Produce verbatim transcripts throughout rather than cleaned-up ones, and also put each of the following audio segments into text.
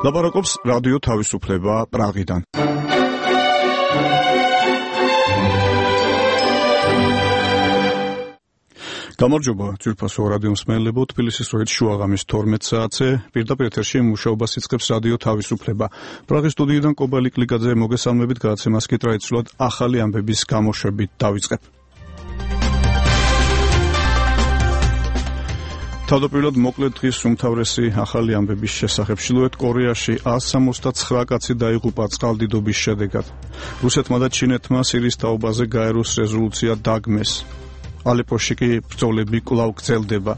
ლაპარაკობს რადიო თავისუფლება პრაღიდან. გამარჯობა, ძვირფასო რადიო მსმენელებო, თბილისის დროით შუაღამის თორმეტ საათზე პირდაპირ ეთერში მუშაობას იწყებს რადიო თავისუფლება. პრაღის სტუდიიდან კობალი კლიკაძე მოგესალმებით, გადაცემას კი ტრადიციულად ახალი ამბების გამოშვებით დავიწყებ. თავდაპირველად მოკლედ დღის უმთავრესი ახალი ამბების შესახებ. ჩრდილოეთ კორეაში ას სამოცდაცხრა კაცი დაიღუპა წყალდიდობის შედეგად. რუსეთმა და ჩინეთმა სირიის თაობაზე გაეროს რეზოლუცია დაგმეს. ალეპოში კი ბრძოლები კვლავ გრძელდება.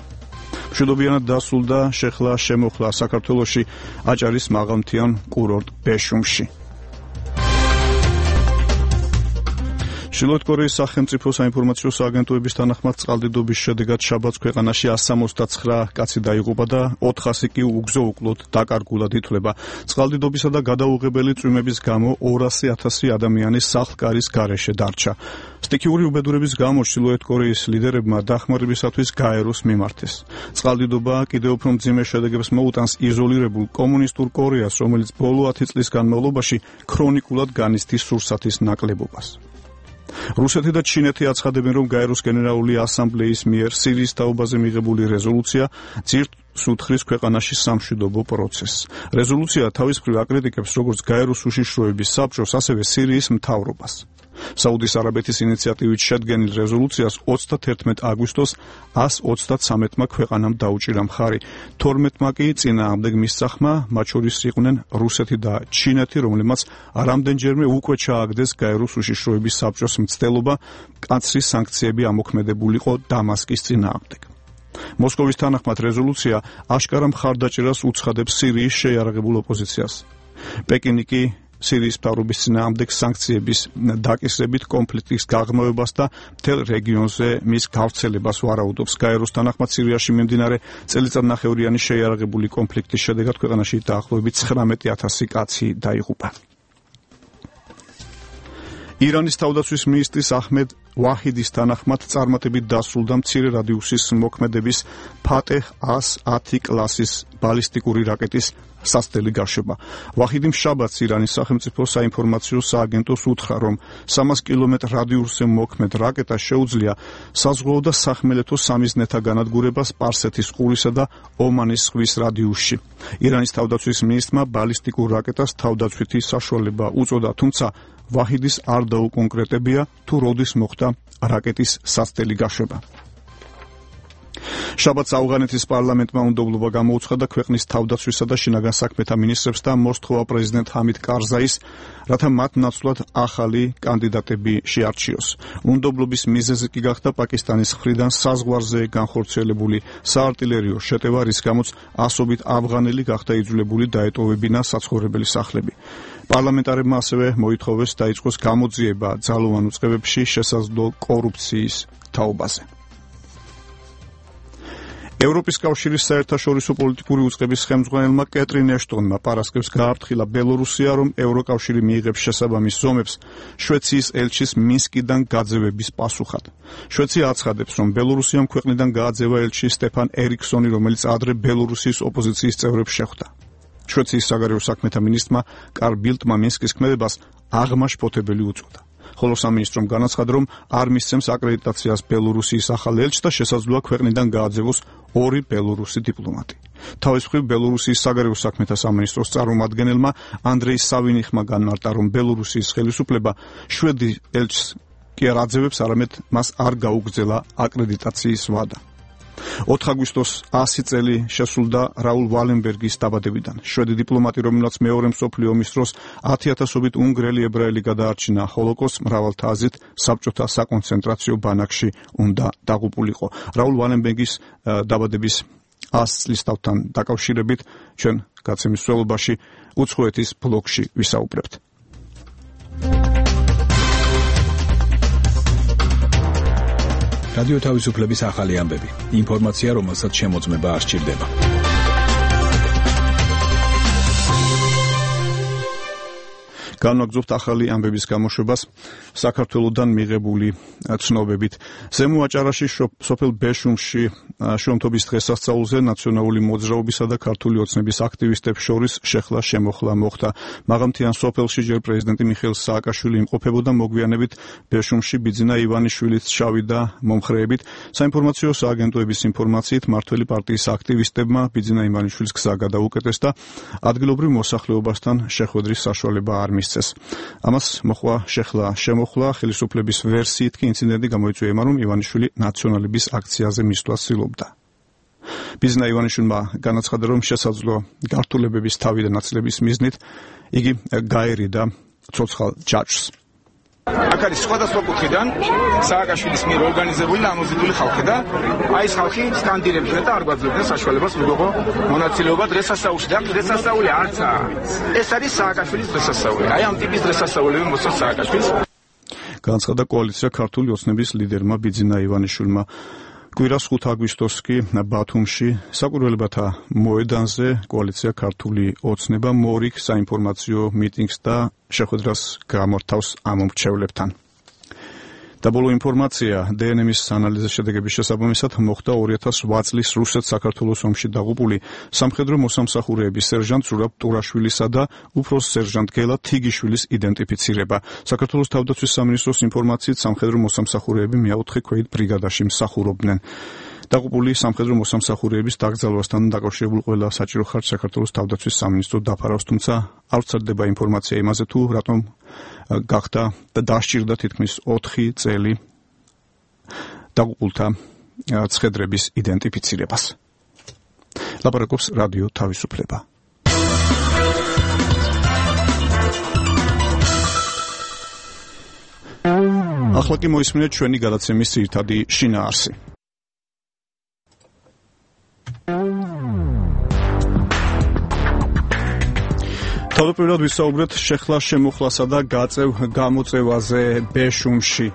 მშვიდობიანად დასრულდა შეხლა შემოხლა საქართველოში აჭარის მაღალმთიან კურორტ ბეშუმში. ჩრდილოეთ კორეის სახელმწიფო საინფორმაციო სააგენტოების თანახმად წყალდიდობის შედეგად შაბათს ქვეყანაში ას სამოცდაცხრა კაცი დაიღუპა და ოთხასი კი უგზო-უკლოდ დაკარგულად ითვლება. წყალდიდობისა და გადაუღებელი წვიმების გამო ორასი ათასი ადამიანი სახლ-კარის გარეშე დარჩა. სტიქიური უბედურების გამო ჩრდილოეთ კორეის ლიდერებმა დახმარებისათვის გაეროს მიმართეს. წყალდიდობა კიდევ უფრო მძიმე შედეგებს მოუტანს იზოლირებულ კომუნისტურ კორეას, რომელიც ბოლო ათი წლის განმავლობაში ქრონიკულად განიცდის სურსათის ნაკლებობას. რუსეთი და ჩინეთი აცხადებენ, რომ გაეროს გენერალური ასამბლეის მიერ სირიის თაობაზე მიღებული რეზოლუცია ძირს უთხრის ქვეყანაში სამშვიდობო პროცესს. რეზოლუცია თავის მხრივ აკრიტიკებს როგორც გაეროს უშიშროების საბჭოს, ასევე სირიის მთავრობას. საუდის არაბეთის ინიციატივით შედგენილ რეზოლუციას ოცდათერთმეტ აგვისტოს ას ოცდათსამეტმა ქვეყანამ დაუჭირა მხარი. თორმეტმა კი წინააღმდეგ მისწახმა, მათ შორის იყვნენ რუსეთი და ჩინეთი, რომლებმაც რამდენჯერმე უკვე ჩააგდეს გაეროს უშიშროების საბჭოს მცდელობა მკაცრი სანქციები ამოქმედებულიყო დამასკის წინააღმდეგ. მოსკოვის თანახმად რეზოლუცია აშკარა მხარდაჭერას უცხადებს სირიის შეიარაღებულ ოპოზიციას. პეკინი კი სირიის მთავრობის წინააღმდეგ სანქციების დაკისრებით კონფლიქტის გაღრმავებას და მთელ რეგიონზე მის გავრცელებას ვარაუდობს. გაეროს თანახმად სირიაში მიმდინარე წელიწადნახევრიანი შეიარაღებული კონფლიქტის შედეგად ქვეყანაში დაახლოებით ცხრამეტი ათასი კაცი დაიღუპა. ირანის თავდაცვის მინისტრის აჰმედ ვაჰიდის თანახმად წარმატებით დასრულდა მცირე რადიუსის მოქმედების ფატეჰ ას ათი კლასის ბალისტიკური რაკეტის სასწრაფო გაშვება. ვაჰიდიმ შაბათს ირანის სახელმწიფო საინფორმაციო სააგენტოს უთხრა, რომ სამას კილომეტრ რადიუსზე მოქმედ რაკეტას შეუძლია საზღვაო და სახმელეთო სამიზნეთა განადგურება სპარსეთის ყურისა და ომანის ზღვის რადიუსში. ირანის თავდაცვის მინისტრმა ბალისტიკურ რაკეტას თავდაცვითი საშუალება უწოდა, თუმცა ვაჰიდის არ დაუკონკრეტებია, თუ როდის მოხდა რაკეტის სასწრაფო გაშვება. შაბათს ავღანეთის პარლამენტმა უნდობლობა გამოუცხადა ქვეყნის თავდაცვისა და შინაგან საქმეთა მინისტრებს და მოსთხოვა პრეზიდენტ ჰამიდ კარზაის, რათა მათ ნაცვლად ახალი კანდიდატები შეარჩიოს. უნდობლობის მიზეზი კი გახდა პაკისტანის მხრიდან საზღვარზე განხორციელებული საარტილერიო შეტევა, რის გამოც ასობით ავღანელი გახდა იძულებული დაეტოვებინა საცხოვრებელი სახლები. პარლამენტარებმა ასევე მოითხოვეს დაიწყოს გამოძიება ძალოვან უწყებებში შესაძლო კორუფციის თაობაზე. ევროპის კავშირის საერთაშორისო პოლიტიკური უწყების ხელმძღვანელმა კეტრინ ეშტონმა პარასკევს გააფრთხილა ბელორუსია, რომ ევროკავშირი მიიღებს შესაბამის ზომებს შვეციის ელჩის მინსკიდან გაძევების პასუხად. შვეცია აცხადებს, რომ ბელორუსიამ ქვეყნიდან გააძევა ელჩი სტეფან ერიქსონი, რომელიც ადრე ბელორუსიის ოპოზიციის წევრებს შეხვდა. შვეციის საგარეო საქმეთა მინისტრმა კარლ ბილდმა მინსკის ქმედებას აღმაშფოთებელი უწოდა. ხოლო სამინისტრომ განაცხადა, რომ არ მისცემს აკრედიტაციას ბელორუსიის ახალ ელჩს და შესაძლოა ქვეყნიდან გააძევოს ორი ბელორუსი დიპლომატი. თავის მხრივ ბელორუსიის საგარეო საქმეთა სამინისტროს წარმომადგენელმა ანდრეი სავინიხმა განმარტა, რომ ბელორუსიის ხელისუფლება შვედი ელჩს კი არ აძევებს, არამედ მას არ გაუგრძელა აკრედიტაციის ვადა. ოთხ აგვისტოს ასი წელი შესრულდა რაულ ვალენბერგის დაბადებიდან. შვედი დიპლომატი, რომელმაც მეორე მსოფლიო ომის დროს ათი ათასობით უნგრელი ებრაელი გადაარჩინა ჰოლოკოსტს, მრავალთა აზრით საბჭოთა საკონცენტრაციო ბანაკში უნდა დაღუპულიყო. რაულ ვალენბერგის დაბადების ას წლისთავთან დაკავშირებით ჩვენ გაცემის მსვლელობაში უცხოეთის ბლოგში ვისაუბრებთ. რადიო თავისუფლების ახალი ამბები. ინფორმაცია, რომელსაც შემოწმება არ სჭირდება. განვაგრძობთ ახალი ამბების გამოშვებას. საქართველოსთან მიღებული ცნობებით. ზემო აჭარაში სოფელ ბეშუმში შრომთობის დღესასწაულზე ნაციონალური მოძრაობისა და ქართული ოცნების აქტივისტებს შორის შეხლა შემოხლა მოხდა. მაღალმთიან სოფელში ჯერ პრეზიდენტი მიხეილ სააკაშვილი იმყოფებოდა, მოგვიანებით ბეშუმში ბიძინა ივანიშვილიც ჩავიდა მომხრეებით. საინფორმაციო სააგენტოების ინფორმაციით მართველი პარტიის აქტივისტებმა ბიძინა ივანიშვილის გზა გადაუკეტეს და ადგილობრივ მოსახლეობასთან შეხვედრის საშუალება არ მისცეს. ამას მოხდა შეხლა შემოხლა, ხელისუფლების ვერსიით კი ინციდენტი გამოიწვია, რომ ივანიშვილი ნაციონალების აქციაზე მისვლას ცდილობდა. ბიძინა ივანიშვილმა განაცხადა, რომ შესაძლო გართულებების თავი და ნაცვლების მიზნით იგი გაერიდა ცოცხალ ჯაჭვს. აქ არის სხვადასხვა კუთხიდან სააკაშვილის მიერ ორგანიზებული და ამოზიდული ხალხი და აი ეს ხალხი სკანდირებდნენ და არ გვაძლევდნენ საშუალებას მეგობო მონაწილეობა დღესასწაულში და დღესასწაული არცაა. ეს არის სააკაშვილის დღესასწაული. აი ამ ტიპის დღესასწაულები მოსწონს სააკაშვილს. განაცხადა კოალიცია ქართული ოცნების ლიდერმა ბიძინა ივანიშვილმა. კვირას ხუთი აგვისტოს კი ბათუმში საკვირველებათა მოედანზე კოალიცია ქართული ოცნება მორიგ საინფორმაციო მიტინგს და შეხვედრას გამართავს ამ მომრჩევლებთან. საბოლოო ინფორმაცია დე ენ ემის ანალიზის შედეგების შესაბამისად მოხდა ორი ათას ოთხ წლის რუსეთ-საქართველოს ომში დაღუპული სამხედრო მოსამსახურეების სერჟანტ ზურაბ ტურაშვილისა და უფროს სერჟანტ გელა თიგიშვილის იდენტიფიცირება. საქართველოს თავდაცვის სამინისტროს ინფორმაციით სამხედრო მოსამსახურეები მეოთხე ქვეით ბრიგადაში მსახურობდნენ. დაღუპული სამხედრო მოსამსახურეების დაკრძალვასთან დაკავშირებულ ყველა საჭირო ხარჯს საქართველოს თავდაცვის სამინისტრო დაფარავს, თუმცა არ ვრცელდება ინფორმაცია იმაზე თუ რატომ გახდა და დასჭირდა თითქმის ოთხი წელი დაღუპულთა ცხედრების იდენტიფიცირებას. ლაპარაკობს რადიო თავისუფლება. ახლა კი მოისმინეთ ჩვენი გადაცემის ძირითადი შინაარსი. თავდაპირველად ვისაუბრეთ შეხლა შემოხლასა და გაწევ გამოწევაზე ბეშუმში.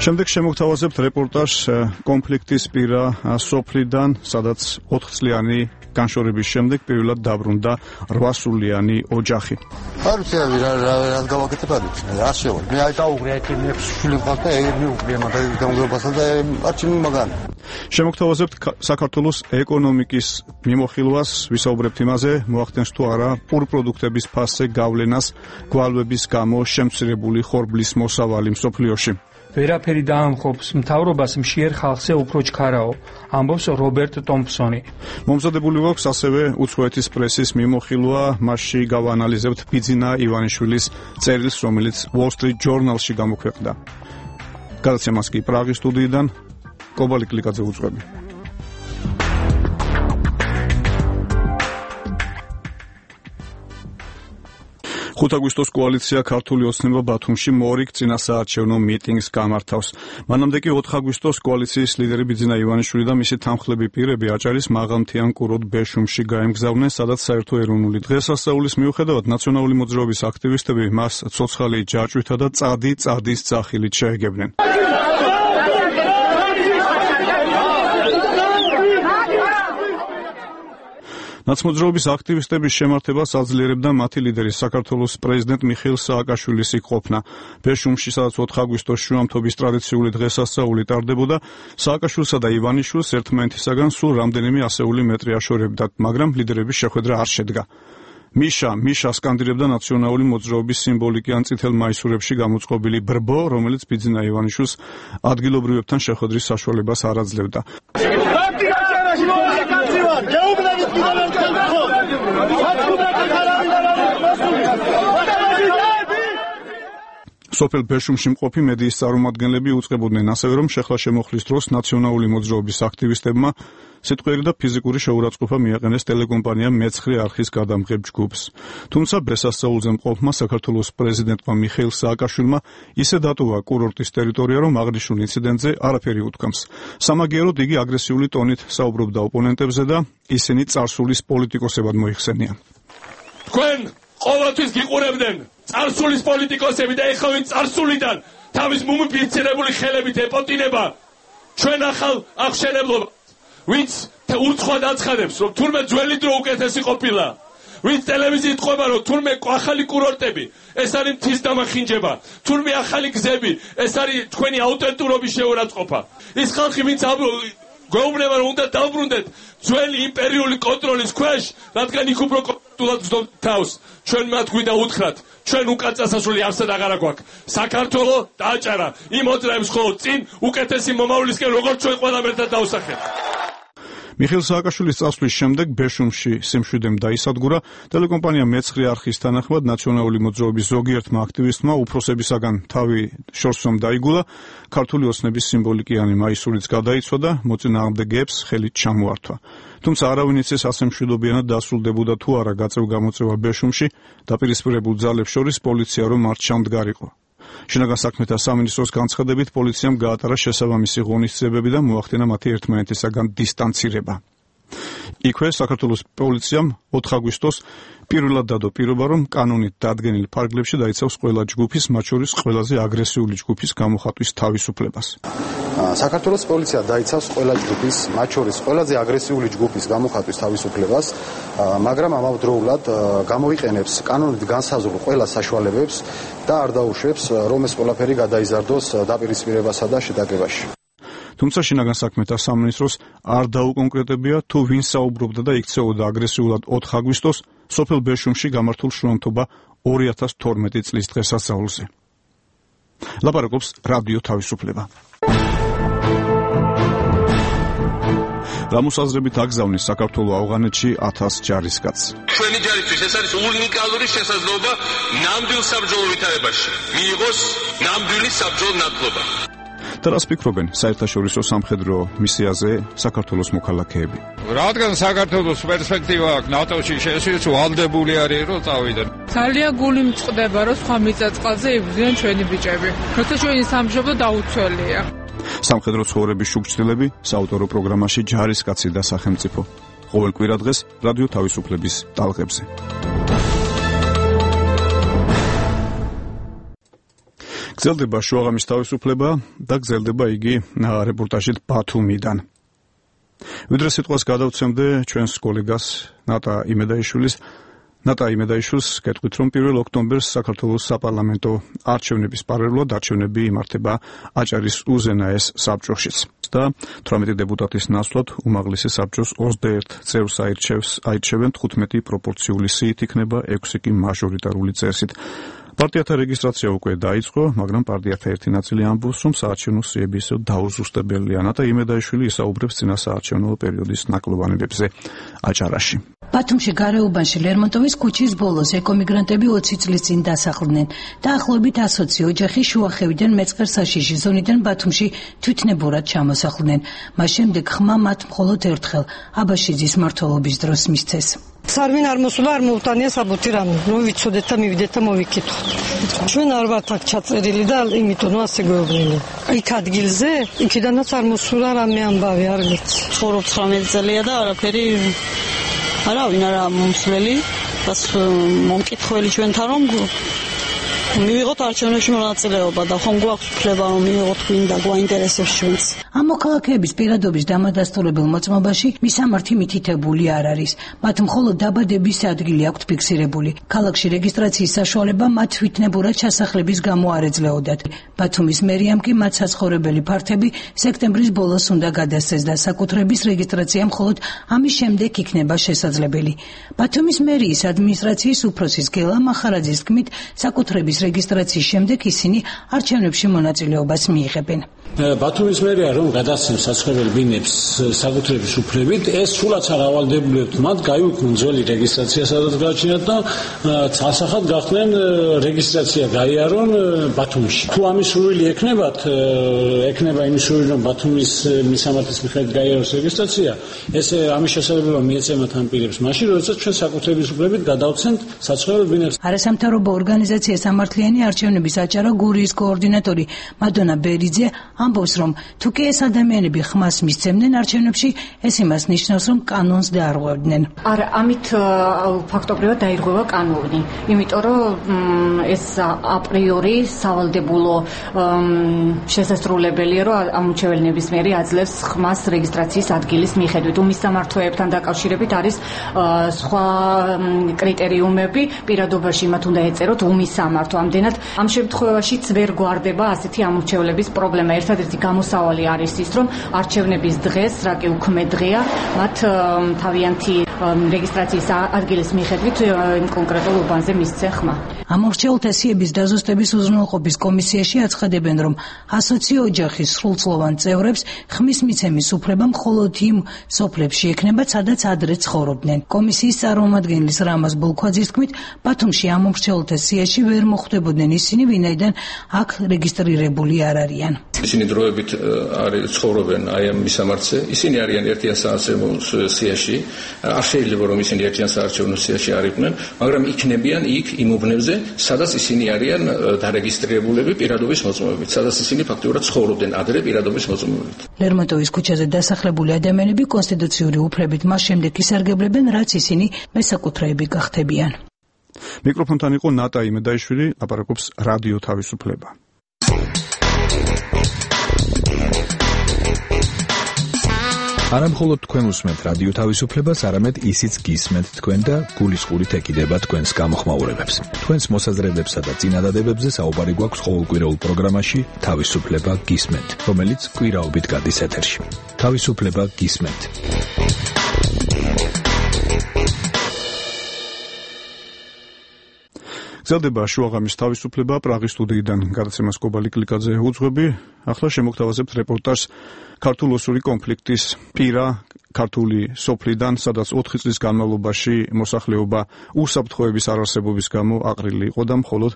შემდეგ შემოგთავაზებთ რეპორტაჟს კონფლიქტის პირა სოფლიდან, სადაც ოთხწლიანი განშორების შემდეგ პირველად დაბრუნდა რვასულიანი ოჯახი. არ ვიცი რა რა რა გავაკეთებ არ ვიცი. არ შევა. მე აი დაუღრე აი მეექვსე შვილი მყავს და ეგ მიუღრია მაგ გამგებასა და არჩინი მაგან. შემოგთავაზებთ საქართველოს ეკონომიკის მიმოხილვას, ვისაუბრებთ იმაზე, მოახდენს თუ არა პურპროდუქტების ფასზე გავლენას გვალვების გამო შემცირებული ხორბლის მოსავალი მსოფლიოში. ვერაფერი დაამხობს მთავრობას მშიერ ხალხზე უფრო ჩქარაო, ამბობს რობერტ ტომპსონი. მომზადებული გვაქვს ასევე უცხოეთის პრესის მიმოხილვა, მასში გავაანალიზებთ ბიძინა ივანიშვილის წერილს, რომელიც Wall Street Journal-ში გამოქვეყნდა. გადაცემას კი პრაღის სტუდიიდან კობალი კლიკაძე უძღვები. ხუთი აგვისტოს კოალიცია ქართული ოცნება ბათუმში მორიგ წინასაარჩევნო მიტინგს გამართავს. მანამდე კი ოთხ აგვისტოს კოალიციის ლიდერი ბიძინა ივანიშვილი და მისი თანმხლები პირები აჭარის მაღალმთიან კურორტ ბეშუმში გაემგზავრნენ, სადაც საერთო ეროვნული დღესასწაულის მიუხედავად ნაციონალური მოძრაობის აქტივისტები მას ცოცხალი ჯაჭვითა და წადი წადის ძახილით შეეგებნენ. ნაცმოძრაობის აქტივისტების შემართებას აძლიერებდა მათი ლიდერი საქართველოს პრეზიდენტ მიხეილ სააკაშვილის იქ-ყოფნა. ბეშუმში, სადაც ოთხ აგვისტოს შუამთობის ტრადიციული დღესასწაული ტარდებოდა, სააკაშვილსა და ივანიშვილს ერთმანეთისაგან სულ რამდენიმე ასეული მეტრი აშორებდათ, მაგრამ ლიდერების შეხვედრა არ შედგა. მიშა, მიშა სკანდირებდა ნაციონალური მოძრაობის სიმბოლიკი ან წითელ მაისურებში გამოწყობილი ბრბო, რომელიც ბიძინა ივანიშვილს ადგილობრივებთან შეხვედრის საშუალებას არ აძლევდა. სოფელ ბეშუმში მყოფი მედიის წარმომადგენლები უწყებოდნენ ასევე, რომ შეხლა შემოხლის დროს ნაციონალური მოძრაობის აქტივისტებმა სიტყვიერი და ფიზიკური შეურაცხყოფა მიაყენეს ტელეკომპანია მეცხრე არხის გადამღებ ჯგუფს. თუმცა დღესასწაულზე მყოფმა საქართველოს პრეზიდენტმა მიხეილ სააკაშვილმა ისე დატოვა კურორტის ტერიტორია, რომ აღნიშნულ ინციდენტზე არაფერი უთქვამს. სამაგიეროდ იგი აგრესიული ტონით საუბრობდა ოპონენტებზე და ისინი წარსულის პოლიტიკოსებად მოიხსენიან. თქვენ ყოველთვის გიყურებდნენ წარსულის პოლიტიკოსები და ეხლა ვინ წარსულიდან თავის მუმიფიცირებული ხელებით ეპოტინება ჩვენ ახალ აღშენებლობას, ვინც ურცხვად აცხადებს, რომ თურმე ძველი დრო უკეთესი ყოფილა. ვინც ტელევიზიით ყვება, რომ თურმე ახალი კურორტები, ეს არის მთის დამახინჯება, თურმე ახალი გზები, ეს არის თქვენი აუთენტურობის შეურაცხყოფა. ის ხალხი, ვინც გვეუბნება, რომ უნდა დავბრუნდეთ ძველი იმპერიული კონტროლის ქვეშ, რადგან იქ უფრო კონტროლად ვზდობთ თავს. ჩვენ მათ გვინდა უთხრათ, ჩვენ უკან წასასვლელი არსად აღარა გვაქვს. საქართველო დააჭარა იმ მოძრაებს ხოლო წინ უკეთესი მომავლისკენ, როგორც ჩვენ ყველამ ერთად დავსახეთ. მიხეილ სააკაშვილის წასვლის შემდეგ ბეშუმში სიმშვიდემ დაისადგურა. ტელეკომპანია მეცხრე არხის თანახმად ნაციონალური მოძრაობის ზოგიერთმა აქტივისტმა უფროსებისაგან თავი შორსომ დაიგულა. ქართული ოცნების სიმბოლიკიანი მაისურიც გადაიცვა, მოწინააღმდეგეებს ხელით ჩამოართვა. თუმცა არავინ იცის ასე მშვიდობიანად დასრულდებოდა თუ არა გაწევ-გამოწევა ბეშუმში, დაპირისპირებულ ძალებს შორის პოლიცია რომ არ ჩამდგარიყო. შინაგან საქმეთა სამინისტროს განცხადებით პოლიციამ გაატარა შესაბამისი ღონისძიებები და მოახდინა მათი ერთმანეთისაგან დისტანცირება. იქვე საქართველოს პოლიციამ ოთხ აგვისტოს პირველად დადო პირობა, რომ კანონით დადგენილ ფარგლებში დაიცავს ყველა ჯგუფის, მათ შორის ყველაზე აგრესიული ჯგუფის გამოხატვის თავისუფლებას. საქართველოს პოლიცია დაიცავს ყველა ჯგუფის, მათ შორის ყველაზე აგრესიული ჯგუფის გამოხატვის თავისუფლებას, მაგრამ ამავდროულად გამოიყენებს კანონით განსაზღვრულ ყველა საშუალებებს და არ დაუშვებს, რომ ეს ყველაფერი გადაიზარდოს დაპირისპირებასა და შეტაკებაში. თუმცა შინაგან საქმეთა სამინისტროს არ დაუკონკრეტებია, თუ ვინ საუბრობდა და იქცეოდა აგრესიულად ოთხ აგვისტოს სოფელ ბეშუმში გამართულ შრომთობა ორი ათას თორმეტი წლის დღესასწაულზე. ლაპარაკობს რადიო თავისუფლება. გამოსაზრებით აგზავნის საქართველოს ავღანეთში ათას ჯარისკაცს. ჩვენი ჯარისთვის ეს არის უნიკალური შესაძლებლობა ნამდვილ საბრძოლო ვითარებაში მიიღოს ნამდვილი საბრძოლო ნათლობა. და რას ფიქრობენ საერთაშორისო სამხედრო მისიაზე საქართველოს მოქალაქეები? რადგან საქართველოს პერსპექტივა აქვს ნატოში შესვლის ვალდებული არის რომ წავიდნენ. ძალიან გული მწყდება რომ სხვა მიწა-წყალზე იბრძვიან ჩვენი ბიჭები. როცა ჩვენი სამშობლო დაუცველია. სამხედრო ცხოვრების შუქჩილები საავტორო პროგრამაში ჯარისკაცი და სახელმწიფო. ყოველ კვირა დღეს რადიო თავისუფლების ტალღებზე. გრძელდება შუაღამის თავისუფლება და გრძელდება იგი რეპორტაჟით ბათუმიდან. ვიდრე სიტყვას გადავცემდე ჩვენს კოლეგას ნატა იმედაიშვილის ნატა იმედაიშვილს გეტყვით, რომ პირველ ოქტომბერს საქართველოს საპარლამენტო არჩევნების პარალელურად არჩევნები იმართება აჭარის უზენაეს საბჭოშიც. და თვრამეტი დეპუტატის ნაცვლად უმაღლესი საბჭოს ოცდაერთ წევრს აირჩევს აირჩევენ თხუთმეტი პროპორციული სიით იქნება ექვსი კი მაჟორიტარული წესით. პარტიათა რეგისტრაცია უკვე დაიწყო, მაგრამ პარტიათა ერთი ნაწილი ამბობს, რომ საარჩევნო სიები ისევ დაუზუსტებელია. ნატა იმედაიშვილი ისაუბრებს წინა საარჩევნო პერიოდის ნაკლოვანებებზე აჭარაში. ბათუმში გარეუბანში ლერმონტოვის ქუჩის ბოლოს ეკომიგრანტები ოცი წლის წინ დასახლდნენ. დაახლოებით ასოცი ოჯახი შუახევიდან მეწყერსაშიში ზონიდან ბათუმში თვითნებურად ჩამოსახლდნენ. მას შემდეგ ხმა მათ მხოლოდ ერთხელ აბაშიძის მმართველობის დროს მისცეს. სარვინ არ მოსულა, არ მოუტანია საბუთი რამე. რომ ვიცოდეთ და მივიდეთ და მოვიკითხოთ. ჩვენ არ ვართ აქ ჩაწერილი და იმიტომ ასე გვეუბნილი. იქ ადგილზე, იქიდანაც არ მოსულა რამე ამბავი, არ ვიცი. ცხოვრობ ცხრამეტი წელია და არაფერი არავინ არა მომსვლელი, ბას მომკითხველი ჩვენთან რომ მივიღოთ არჩევნებში მონაწილეობა და ხომ გვაქვს უფლება რომ მივიღოთ გვინდა გვაინტერესებს ჩვენც. ამ მოქალაქეების პირადობის დამადასტურებელ მოწმობაში მისამართი მითითებული არ არის. მათ მხოლოდ დაბადების ადგილი აქვთ ფიქსირებული. ქალაქში რეგისტრაციის საშუალება მათ თვითნებურად ჩასახლების გამო არ ეძლეოდათ. ბათუმის მერიამ კი მათ საცხოვრებელი ფართები სექტემბრის ბოლოს უნდა გადასცეს და საკუთრების რეგისტრაცია მხოლოდ ამის შემდეგ იქნება შესაძლებელი. ბათუმის მერიის ადმინისტრაციის უფროსის გელა მახარაძის თქმით, საკუთრების რეგისტრაციის შემდეგ ისინი არჩევნებში მონაწილეობას მიიღებენ. ბათუმის მერია რომ გადასცემს საცხოვრებელ ბინებს საკუთრების უფლებით, ეს სულაც არ ავალდებულებთ მათ გაიუქმნουν ძველი რეგისტრაცია, სადაც გააჩნიათ და ასახად გახდნენ რეგისტრაცია გაიარონ ბათუმში. თუ ამის სურვილი ექნებათ, ექნება იმის სურვილი რომ ბათუმის მისამართის მიხედვით გაიაროს რეგისტრაცია, ეს ამის შესაძლებლობა მიეცემათ ამ პირებს მაშინ, როდესაც ჩვენ საკუთრების უფლებით გადავცემთ საცხოვრებელ ბინებს. არასამთავრობო ორგანიზაცია სამართლიანი არჩევნების აჭარა გურიის కోორდინატორი მადონა ბერიძე ამბობს, რომ თუ კი ეს ადამიანები ხმას მისცემდნენ არჩევნებში, ეს იმას ნიშნავს, რომ კანონს დაარღვევდნენ. არა, ამით ფაქტობრივად დაირღვევა კანონი, იმიტომ რომ ეს აპრიორი სავალდებულო შესაძლებელია, რომ ამორჩეველი ნებისმიერი აძლევს ხმას რეგისტრაციის ადგილის მიხედვით. უმისამართოებთან დაკავშირებით არის სხვა კრიტერიუმები, პირადობაში მათ უნდა ეწეროთ უმისამართო. ამდენად ამ შემთხვევაშიც ვერ გვარდება ასეთი ამორჩევლების პრობლემა. ერთადერთი გამოსავალი არის ის, რომ არჩევნების დღეს, რა კი უქმე დღეა, მათ თავიანთი რეგისტრაციის ადგილის მიხედვით იმ კონკრეტულ უბანზე მისცენ ხმა. ამორჩეულთა სიების დაზუსტების უზრუნველყოფის კომისიაში აცხადებენ, რომ ასოციო ოჯახის სრულწლოვან წევრებს ხმის მიცემის უფლება მხოლოდ იმ სოფლებში ექნება, სადაც ადრე ცხოვრობდნენ. კომისიის წარმომადგენლის რამაზ ბოლქვაძის თქმით, ბათუმში ამორჩეულთა სიაში ვერ მოხვდებოდნენ ისინი, ვინაიდან აქ რეგისტრირებული არ არიან. ისინი დროებით არის ცხოვრობენ აი ამ მისამართზე, ისინი არიან ერთიან საარჩევნო სიაში, არ შეიძლება რომ ისინი ერთიან საარჩევნო სიაში არ იყვნენ, მაგრამ იქნებიან იქ იმ უბნებზე, სადაც ისინი არიან დარეგისტრირებულები პირადობის მოწმობებით, სადაც ისინი ფაქტობრივად ცხოვრობდნენ ადრე პირადობის მოწმობებით. ლერმონტოვის ქუჩაზე დასახლებული ადამიანები კონსტიტუციური უფლებით მას შემდეგ ისარგებლებენ, რაც ისინი მესაკუთრეები გახდებიან. მიკროფონთან იყო ნატა იმედაიშვილი, ლაპარაკობს რადიო თავისუფლება. არა მხოლოდ თქვენ უსმენთ რადიო თავისუფლებას, არამედ ისიც გისმენთ თქვენ და გულისყურით ეკიდება თქვენს გამოხმაურებებს. თქვენს მოსაზრებებსა და წინადადებებზე საუბარი გვაქვს ყოველკვირეულ პროგრამაში თავისუფლება გისმენთ, რომელიც კვირაობით გადის ეთერში. თავისუფლება გისმენთ. გრძელდება შუაღამის თავისუფლება, პრაღის სტუდიიდან გადაცემას კობალი კლიკაძე უძღვები. ახლა შემოგთავაზებთ რეპორტაჟს ქართულ-ოსური კონფლიქტის პირა ქართული სოფლიდან, სადაც ოთხი წლის განმავლობაში მოსახლეობა უსაფრთხოების არარსებობის გამო აყრილი იყო და მხოლოდ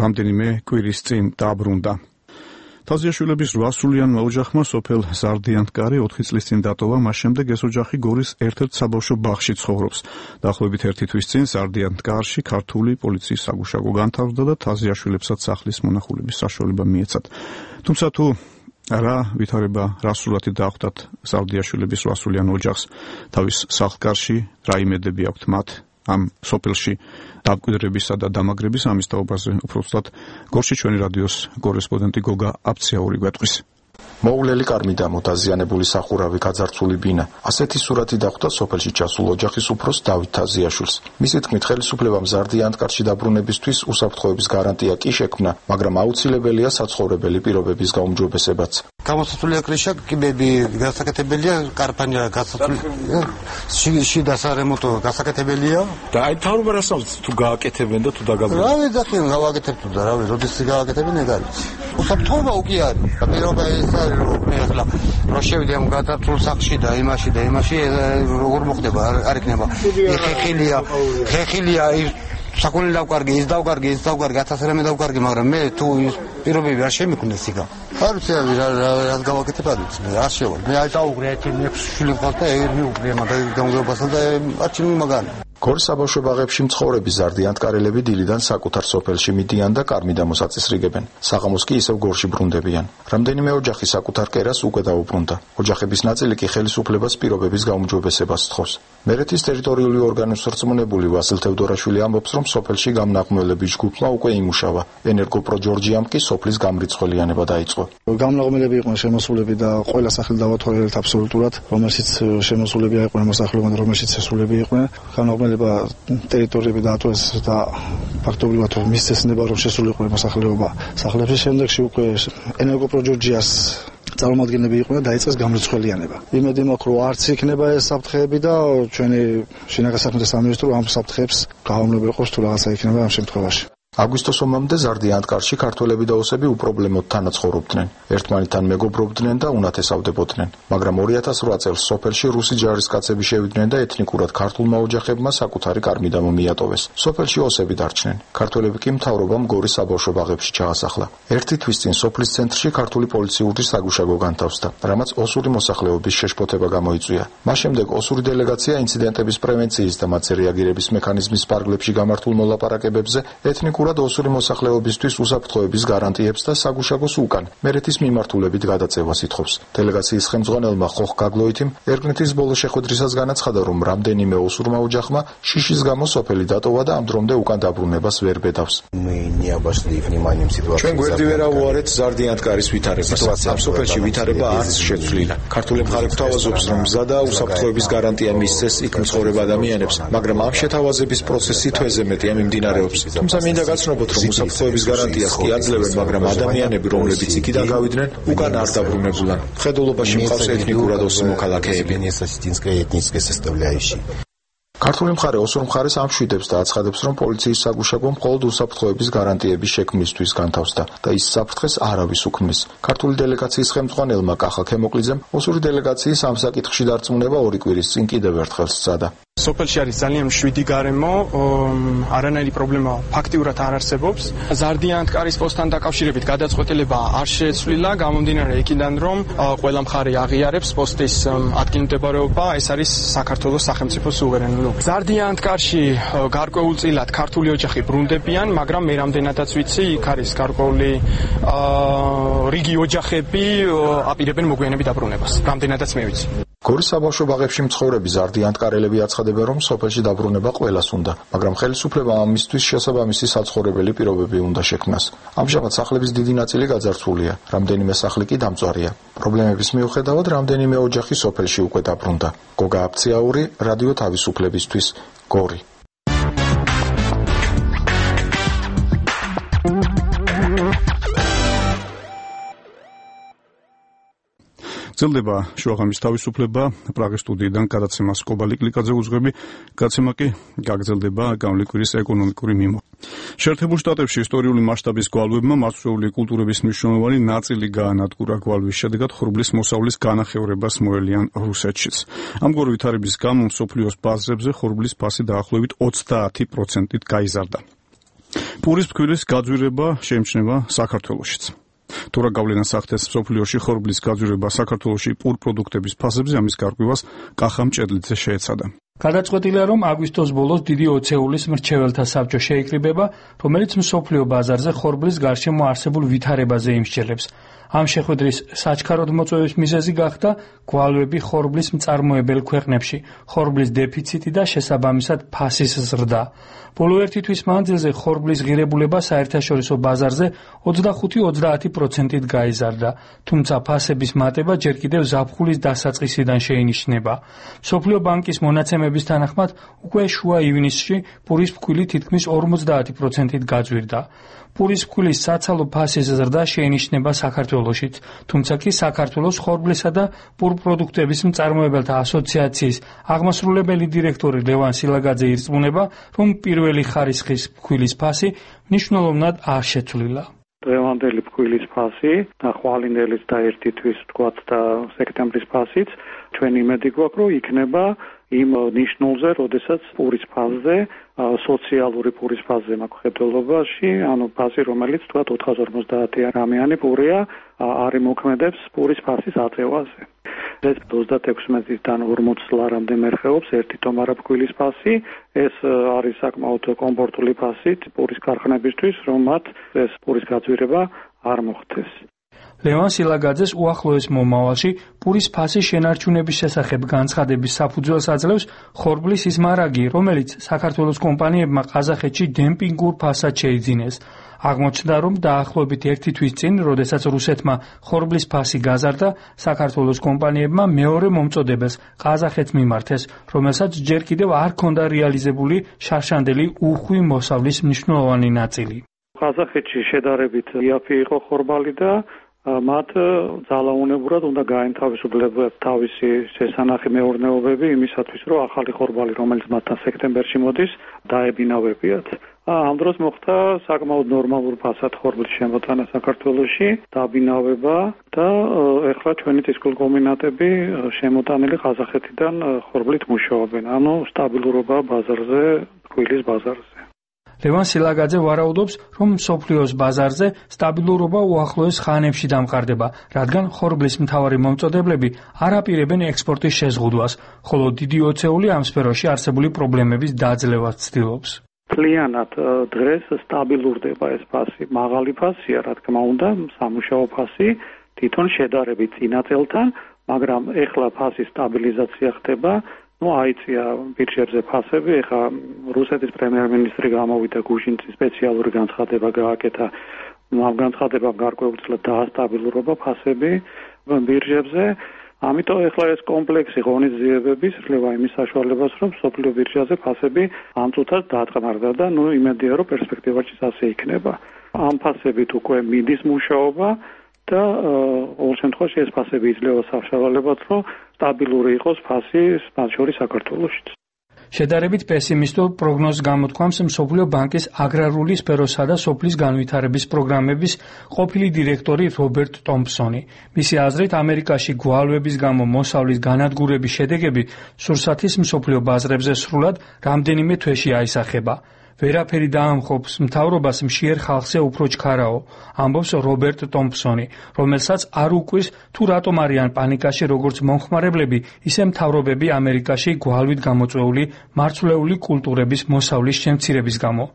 რამდენიმე კვირის წინ დააბრუნდა. თაზიაშვილების რვასრულიანმა ოჯახმა სოფელ ზარდიანთკარი ოთხი წლის წინ დატოვა, მას შემდეგ ეს ოჯახი გორის ერთ-ერთ საბავშვო ბაღში ცხოვრობს. დაახლოებით ერთი თვის წინ ზარდიანთკარში ქართული პოლიციის საგუშაგო განთავსდა და თაზიაშვილებსაც სახლის მონახულების საშუალება მიეცათ. თუმცა თუ რა ვითარება რასრულად დახვდათ ზარდიაშვილების რვასრულიან ოჯახს თავის სახლკარში, რა იმედები აქვთ მათ ამ სოფელში დამკვიდრებისა და დამაგრების, ამის თაობაზე უფრო სწორად გორში ჩვენი რადიოს კორესპონდენტი გოგა აფციაური გვეტყვის. მოულელი კარმი და მოტაზიანებული სახურავი გაძარცული ბინა. ასეთი სურათი დახვდა სოფელში ჩასულ ოჯახის უფროს დავით თაზიაშვილს. მისი თქმით, ხელისუფლებამ ზარდიანთკარში დაბრუნებისთვის უსაფრთხოების გარანტია კი შექმნა, მაგრამ აუცილებელია საცხოვრებელი პირობების გაუმჯობესებაც. გამოსაცულია კრიშა, კიბები გასაკეთებელია, კარფანია გასაკეთებელია, შიდა სარემონტო გასაკეთებელია. და აი თავრობა რასაუბრს თუ გააკეთებენ და თუ დაგაბრუნებენ. რა ვიცი, გავაკეთებთ და რა ვიცი, როდის გააკეთებენ ეგ არის. უსაფრთხოება უკი არის. პირობა ეს არის, რომ მე ახლა რო შევიდე ამ გადაწულ სახში და იმაში და იმაში როგორ მოხდება, არ იქნება. ხეხილია, ხეხილია საკუთარი დავკარგი, ის დავკარგი, ის დავკარგი, ათას რამე დავკარგი, მაგრამ მე თუ პირობები არ შემიქმნეს იქა. არ ვიცი რა რა გავაკეთებ არ ვიცი, არ შევალ. მე აი დაუგრე ერთი მეექვსე შვილი მყავს და ეგ მიუგრე მაგალ გამგებასთან და არჩინი მაგარი. გორის საბავშვო ბაღებში მცხოვრები ზარდიანთკარელები დილიდან საკუთარ სოფელში მიდიან და კარმი დამოსაწესრიგებენ. საღამოს კი ისევ გორში ბრუნდებიან. რამდენიმე ოჯახი საკუთარ კერას უკვე დაუბრუნდა. ოჯახების ნაწილი კი ხელისუფლებას პირობების გაუმჯობესებას სთხოვს. მერეთის ტერიტორიული ორგანოს რწმუნებული ვასილ თევდორაშვილი ამბობს, რომ სოფელში გამნაღმველების ჯგუფმა უკვე იმუშავა. ენერგოპრო ჯორჯიამ კი სოფლის გამრიცხველიანება დაიწყო. გამნაღმელები იყვნენ შემოსულები და ყველა სახელი დავათვალიერეთ აბსოლუტურად, რომელშიც შემოსულები იყვნენ მოსახლეობა და რომელშიც შესულები იყვნენ. გამნაღმელება ტერიტორიები დაატოვეს და ფაქტობრივად მისცემა რომ შესულიყო მოსახლეობა სახლებში. შემდეგში უკვე ენერგოპრო ჯორჯიას წარმომადგენლები იყვნენ და დაიწყეს გამრიცხველიანება. იმედი მაქვს, რომ არც იქნება ეს საფრთხეები და ჩვენი შინაგან საქმეთა სამინისტრო ამ საფრთხეებს გაუმეორებს ყავს თუ რაღაცა იქნება ამ შემთხვევაში. აგვისტოს ომამდე ზარდიანთკარში ქართველები და ოსები უპრობლემოდ თანაცხოვრობდნენ. ერთმანეთთან მეგობრობდნენ და უნათესავდებოდნენ. მაგრამ ორი ათას რვა წელს სოფელში რუსი ჯარისკაცები შევიდნენ და ეთნიკურად ქართულმა ოჯახებმა საკუთარი კარმი დამომიატოვეს. სოფელში ოსები დარჩნენ. ქართველები კი მთავრობამ გორის საბავშვო ბაღებში ჩაასახლა. ერთი თვის წინ სოფლის ცენტრში ქართული პოლიციური საგუშაგო განთავსდა, რამაც ოსური მოსახლეობის შეშფოთება გამოიწვია. მას შემდეგ ოსური დელეგაცია ინციდენტების პრევენციის და მათზე რეაგირების მექანიზმის პარგლებში გამართულ მოლაპარაკებებზე ეთნიკურ ტექნიკურად ოსური მოსახლეობისთვის უსაფრთხოების გარანტიებს და საგუშაგოს უკან მერეთის მიმართულებით გადაწევას ითხოვს. დელეგაციის ხელმძღვანელმა ხოხ გაგლოითიმ ერგნეთის ბოლო შეხვედრისას განაცხადა, რომ რამდენიმე ოსურმა ოჯახმა შიშის გამო სოფელი დატოვა და ამ დრომდე უკან დაბრუნებას ვერ ბედავს. ჩვენ გვერდი ვერ ავუარეთ ზარდიანთკარის ვითარებას. ამ სოფელში ვითარება არც შეცვლილა. ქართული მხარე გვთავაზობს, რომ მზა და უსაფრთხოების გარანტია მისცეს იქ მცხოვრებ ადამიანებს, მაგრამ ამ შეთავაზების პროცესი თვეზე მეტია მიმდინარეობს. თუმცა მინდა გაცნობოთ, რომ უსაფრთხოების გარანტიას კი აძლევენ, მაგრამ ადამიანები, რომლებიც იქიდან გავიდნენ, უკან არ დაბრუნებულან. მხედველობაში მყავს ეთნიკურად ოსი მოქალაქეები. ქართული მხარე ოსურ მხარეს ამშვიდებს და აცხადებს, რომ პოლიციის საგუშაგო მხოლოდ უსაფრთხოების გარანტიების შექმნისთვის განთავსდა და ის საფრთხეს არავის უქმნის. ქართული დელეგაციის ხელმძღვანელმა კახა ქემოკლიძემ ოსური დელეგაციის ამ საკითხში დარწმუნება ორი კვირის წინ კიდევ ერთხელ სცადა. სოფელში არის ძალიან მშვიდი გარემო, არანაირი პრობლემა ფაქტიურად არ არსებობს. ზარდიანთკარის პოსტთან დაკავშირებით გადაწყვეტილება არ შეცვლილა, გამომდინარე იქიდან, რომ ყველა მხარე აღიარებს პოსტის ადგილმდებარეობა, ეს არის საქართველოს სახელმწიფო სუვერენული. ზარდიანთკარში გარკვეულწილად ქართული ოჯახი ბრუნდებიან, მაგრამ მე რამდენადაც ვიცი, იქ არის გარკვეული რიგი ოჯახები აპირებენ მოგვიანებით დაბრუნებას. რამდენადაც მე ვიცი. გორის საბავშვო ბაღებში მცხოვრები ზარდიანთკარელები აცხადებენ, რომ სოფელში დაბრუნება ყველას უნდა, მაგრამ ხელისუფლებამ ამისთვის შესაბამისი საცხოვრებელი პირობები უნდა შექმნას. ამჟამად სახლების დიდი ნაწილი გაძარცვულია, რამდენიმე სახლი კი დამწვარია. პრობლემების მიუხედავად, რამდენიმე ოჯახი სოფელში უკვე დაბრუნდა. გოგა აფციაური, რადიო თავისუფლებისთვის, გორი. ძელდება შუაღამის თავისუფლება პრაღის სტუდიიდან გადაცემა სკობალი კლიკაძე უძღვები, გადაცემა კი გაგრძელდება გამლიკვირის ეკონომიკური მიმო. შეერთებულ შტატებში ისტორიული მასშტაბის გვალვებმა მარცვლეული კულტურების მნიშვნელოვანი ნაწილი გაანადგურა. გვალვის შედეგად ხორბლის მოსავლის განახევრებას მოელიან რუსეთშიც. ამგვარი ვითარების გამო მსოფლიოს ბაზრებზე ხორბლის ფასი დაახლოებით ოცდაათი პროცენტით გაიზარდა. პურის ფქვილის გაძვირება შეიმჩნევა საქართველოშიც. თუ რა გავლენას ახდენს მსოფლიოში ხორბლის გაძვირება საქართველოში პურ პროდუქტების ფასებზე, ამის გარკვევას კახა მჭედლიძე შეეცადა. გადაწყვეტილია, რომ აგვისტოს ბოლოს დიდი ოცეულის მრჩეველთა საბჭო შეიკრიბება, რომელიც მსოფლიო ბაზარზე ხორბლის გარშემო არსებულ ვითარებაზე იმსჯელებს. ამ შეხვედრის საჩქაროდ მოწვევის მიზეზი გახდა გვალვები ხორბლის მწარმოებელ ქვეყნებში, ხორბლის დეფიციტი და შესაბამისად ფასის ზრდა. ბოლო ერთი თვის მანძილზე ხორბლის ღირებულება საერთაშორისო ბაზარზე ოცდახუთი ოცდაათი პროცენტით გაიზარდა, თუმცა ფასების მატება ჯერ კიდევ ზაფხულის დასაწყისიდან შეინიშნება. მსოფლიო ბანკის მონაცემების თანახმად, უკვე შუა ივნისში პურის ფქვილი თითქმის ორმოცდაათი პროცენტით გაძვირდა. პურის ფქვილის საცალო ფასის ზრდა შეინიშნება საქართველოშიც, თუმცა კი საქართველოს ხორბლისა და პურ პროდუქტების მწარმოებელთა ასოციაციის აღმასრულებელი დირექტორი ლევან სილაგაძე ირწმუნება, რომ პირველი ხარისხის ფქვილის ფასი მნიშვნელოვნად არ შეცვლილა. დღევანდელი ფქვილის ფასი და ხვალინდელის და ერთი თვის თქვათ და სექტემბრის ფასიც ჩვენ იმედი გვაქვს, რომ იქნება იმ ნიშნულზე, როდესაც პურის ფასზე, სოციალური პურის ფასზე მხედველობაში, ანუ ფასი, რომელიც თქვათ ოთხას ორმოცდაათი რამიანი პურია, არ იმოქმედებს პურის ფასის აწევაზე. ეს ოცდაექვსმეტიდან ორმოც ლარამდე მერხეობს ერთი ტომარა ფქვილის ფასი, ეს არის საკმაოდ კომფორტული ფასი პურის ქარხნებისთვის, რომ მათ ეს პურის გაძვირება არ მოხდეს. ლევან სილაგაძეს უახლოეს მომავალში პურის ფასის შენარჩუნების შესახებ განცხადების საფუძველს აძლევს ხორბლის ის მარაგი, რომელიც საქართველოს კომპანიებმა ყაზახეთში დემპინგურ ფასად შეიძინეს. აღმოჩნდა, რომ დაახლოებით ერთი თვის წინ, როდესაც რუსეთმა ხორბლის ფასი გაზარდა, საქართველოს კომპანიებმა მეორე მომწოდებელს ყაზახეთს მიმართეს, რომელსაც ჯერ კიდევ არ ჰქონდა რეალიზებული შარშანდელი უხვი მოსავლის მნიშვნელოვანი ნაწილი. ყაზახეთში შედარებით იაფი იყო ხორბალი და მათ ძალაუნებურად უნდა გაენთავისუფლებათ თავისი შესანახი მეურნეობები იმისათვის, რომ ახალი ხორბალი, რომელიც მათთან სექტემბერში მოდის, დაებინავებიათ. ამ დროს მოხდა საკმაოდ ნორმალურ ფასად ხორბლის შემოტანა საქართველოში, დაბინავება და ეხლა ჩვენი ტისკოლკომბინატები შემოტანილი ყაზახეთიდან ხორბლით მუშაობენ. ანუ სტაბილურობა ბაზარზე, ფქვილის ბაზარზე. ლევან სილაგაძე ვარაუდობს, რომ მსოფლიოს ბაზარზე სტაბილურობა უახლოეს ხანებში დამყარდება, რადგან ხორბლის მთავარი მომწოდებლები არ აპირებენ ექსპორტის შეზღუდვას, ხოლო დიდი ოცეული ამ სფეროში არსებული პრობლემების დაძლევას ცდილობს. მთლიანად დღეს სტაბილურდება ეს ფასი. მაღალი ფასია, რა თქმა უნდა, სამუშაო ფასი თვითონ შედარებით წინა წელთან, მაგრამ ეხლა ფასის სტაბილიზაცია ხდება. ნუ აიწია ბირჟებზე ფასები, ეხლა რუსეთის პრემიერ-მინისტრი გამოვიდა გუშინში სპეციალური განცხადება გააკეთა. ამ განცხადებამ გარკვეულწილად დაასტაბილურობა ფასები ბირჟებზე. ამიტომ ეხლა ეს კომპლექსი ღონისძიებების ძლევა იმის საშუალებას, რომ სოფლიო ბირჟაზე ფასები ამ წუთას დაწყნარდა და ნუ იმედია, რომ პერსპექტივაშიც ასე იქნება. ამ ფასებით უკვე მიდის მუშაობა და ყოველ შემთხვევაში ეს ფასები იძლევა საშუალებად, რომ სტაბილური იყოს ფასი მათ შორის საქართველოშიც. შედარებით პესიმისტურ პროგნოზს გამოთქვამს მსოფლიო ბანკის აგრარული სფეროსა და სოფლის განვითარების პროგრამების ყოფილი დირექტორი რობერტ ტომპსონი. მისი აზრით, ამერიკაში გვალვების გამო მოსავლის განადგურების შედეგები სურსათის მსოფლიო ბაზრებზე სრულად რამდენიმე თვეში აისახება. ვერაფერი დაამხობს მთავრობას მშიერ ხალხზე უფრო ჩქარაო, ამბობს რობერტ ტომპსონი, რომელსაც არ უკვირს თუ რატომ არიან პანიკაში როგორც მომხმარებლები, ისე მთავრობები ამერიკაში გვალვით გამოწვეული მარცვლეული კულტურების მოსავლის შემცირების გამო.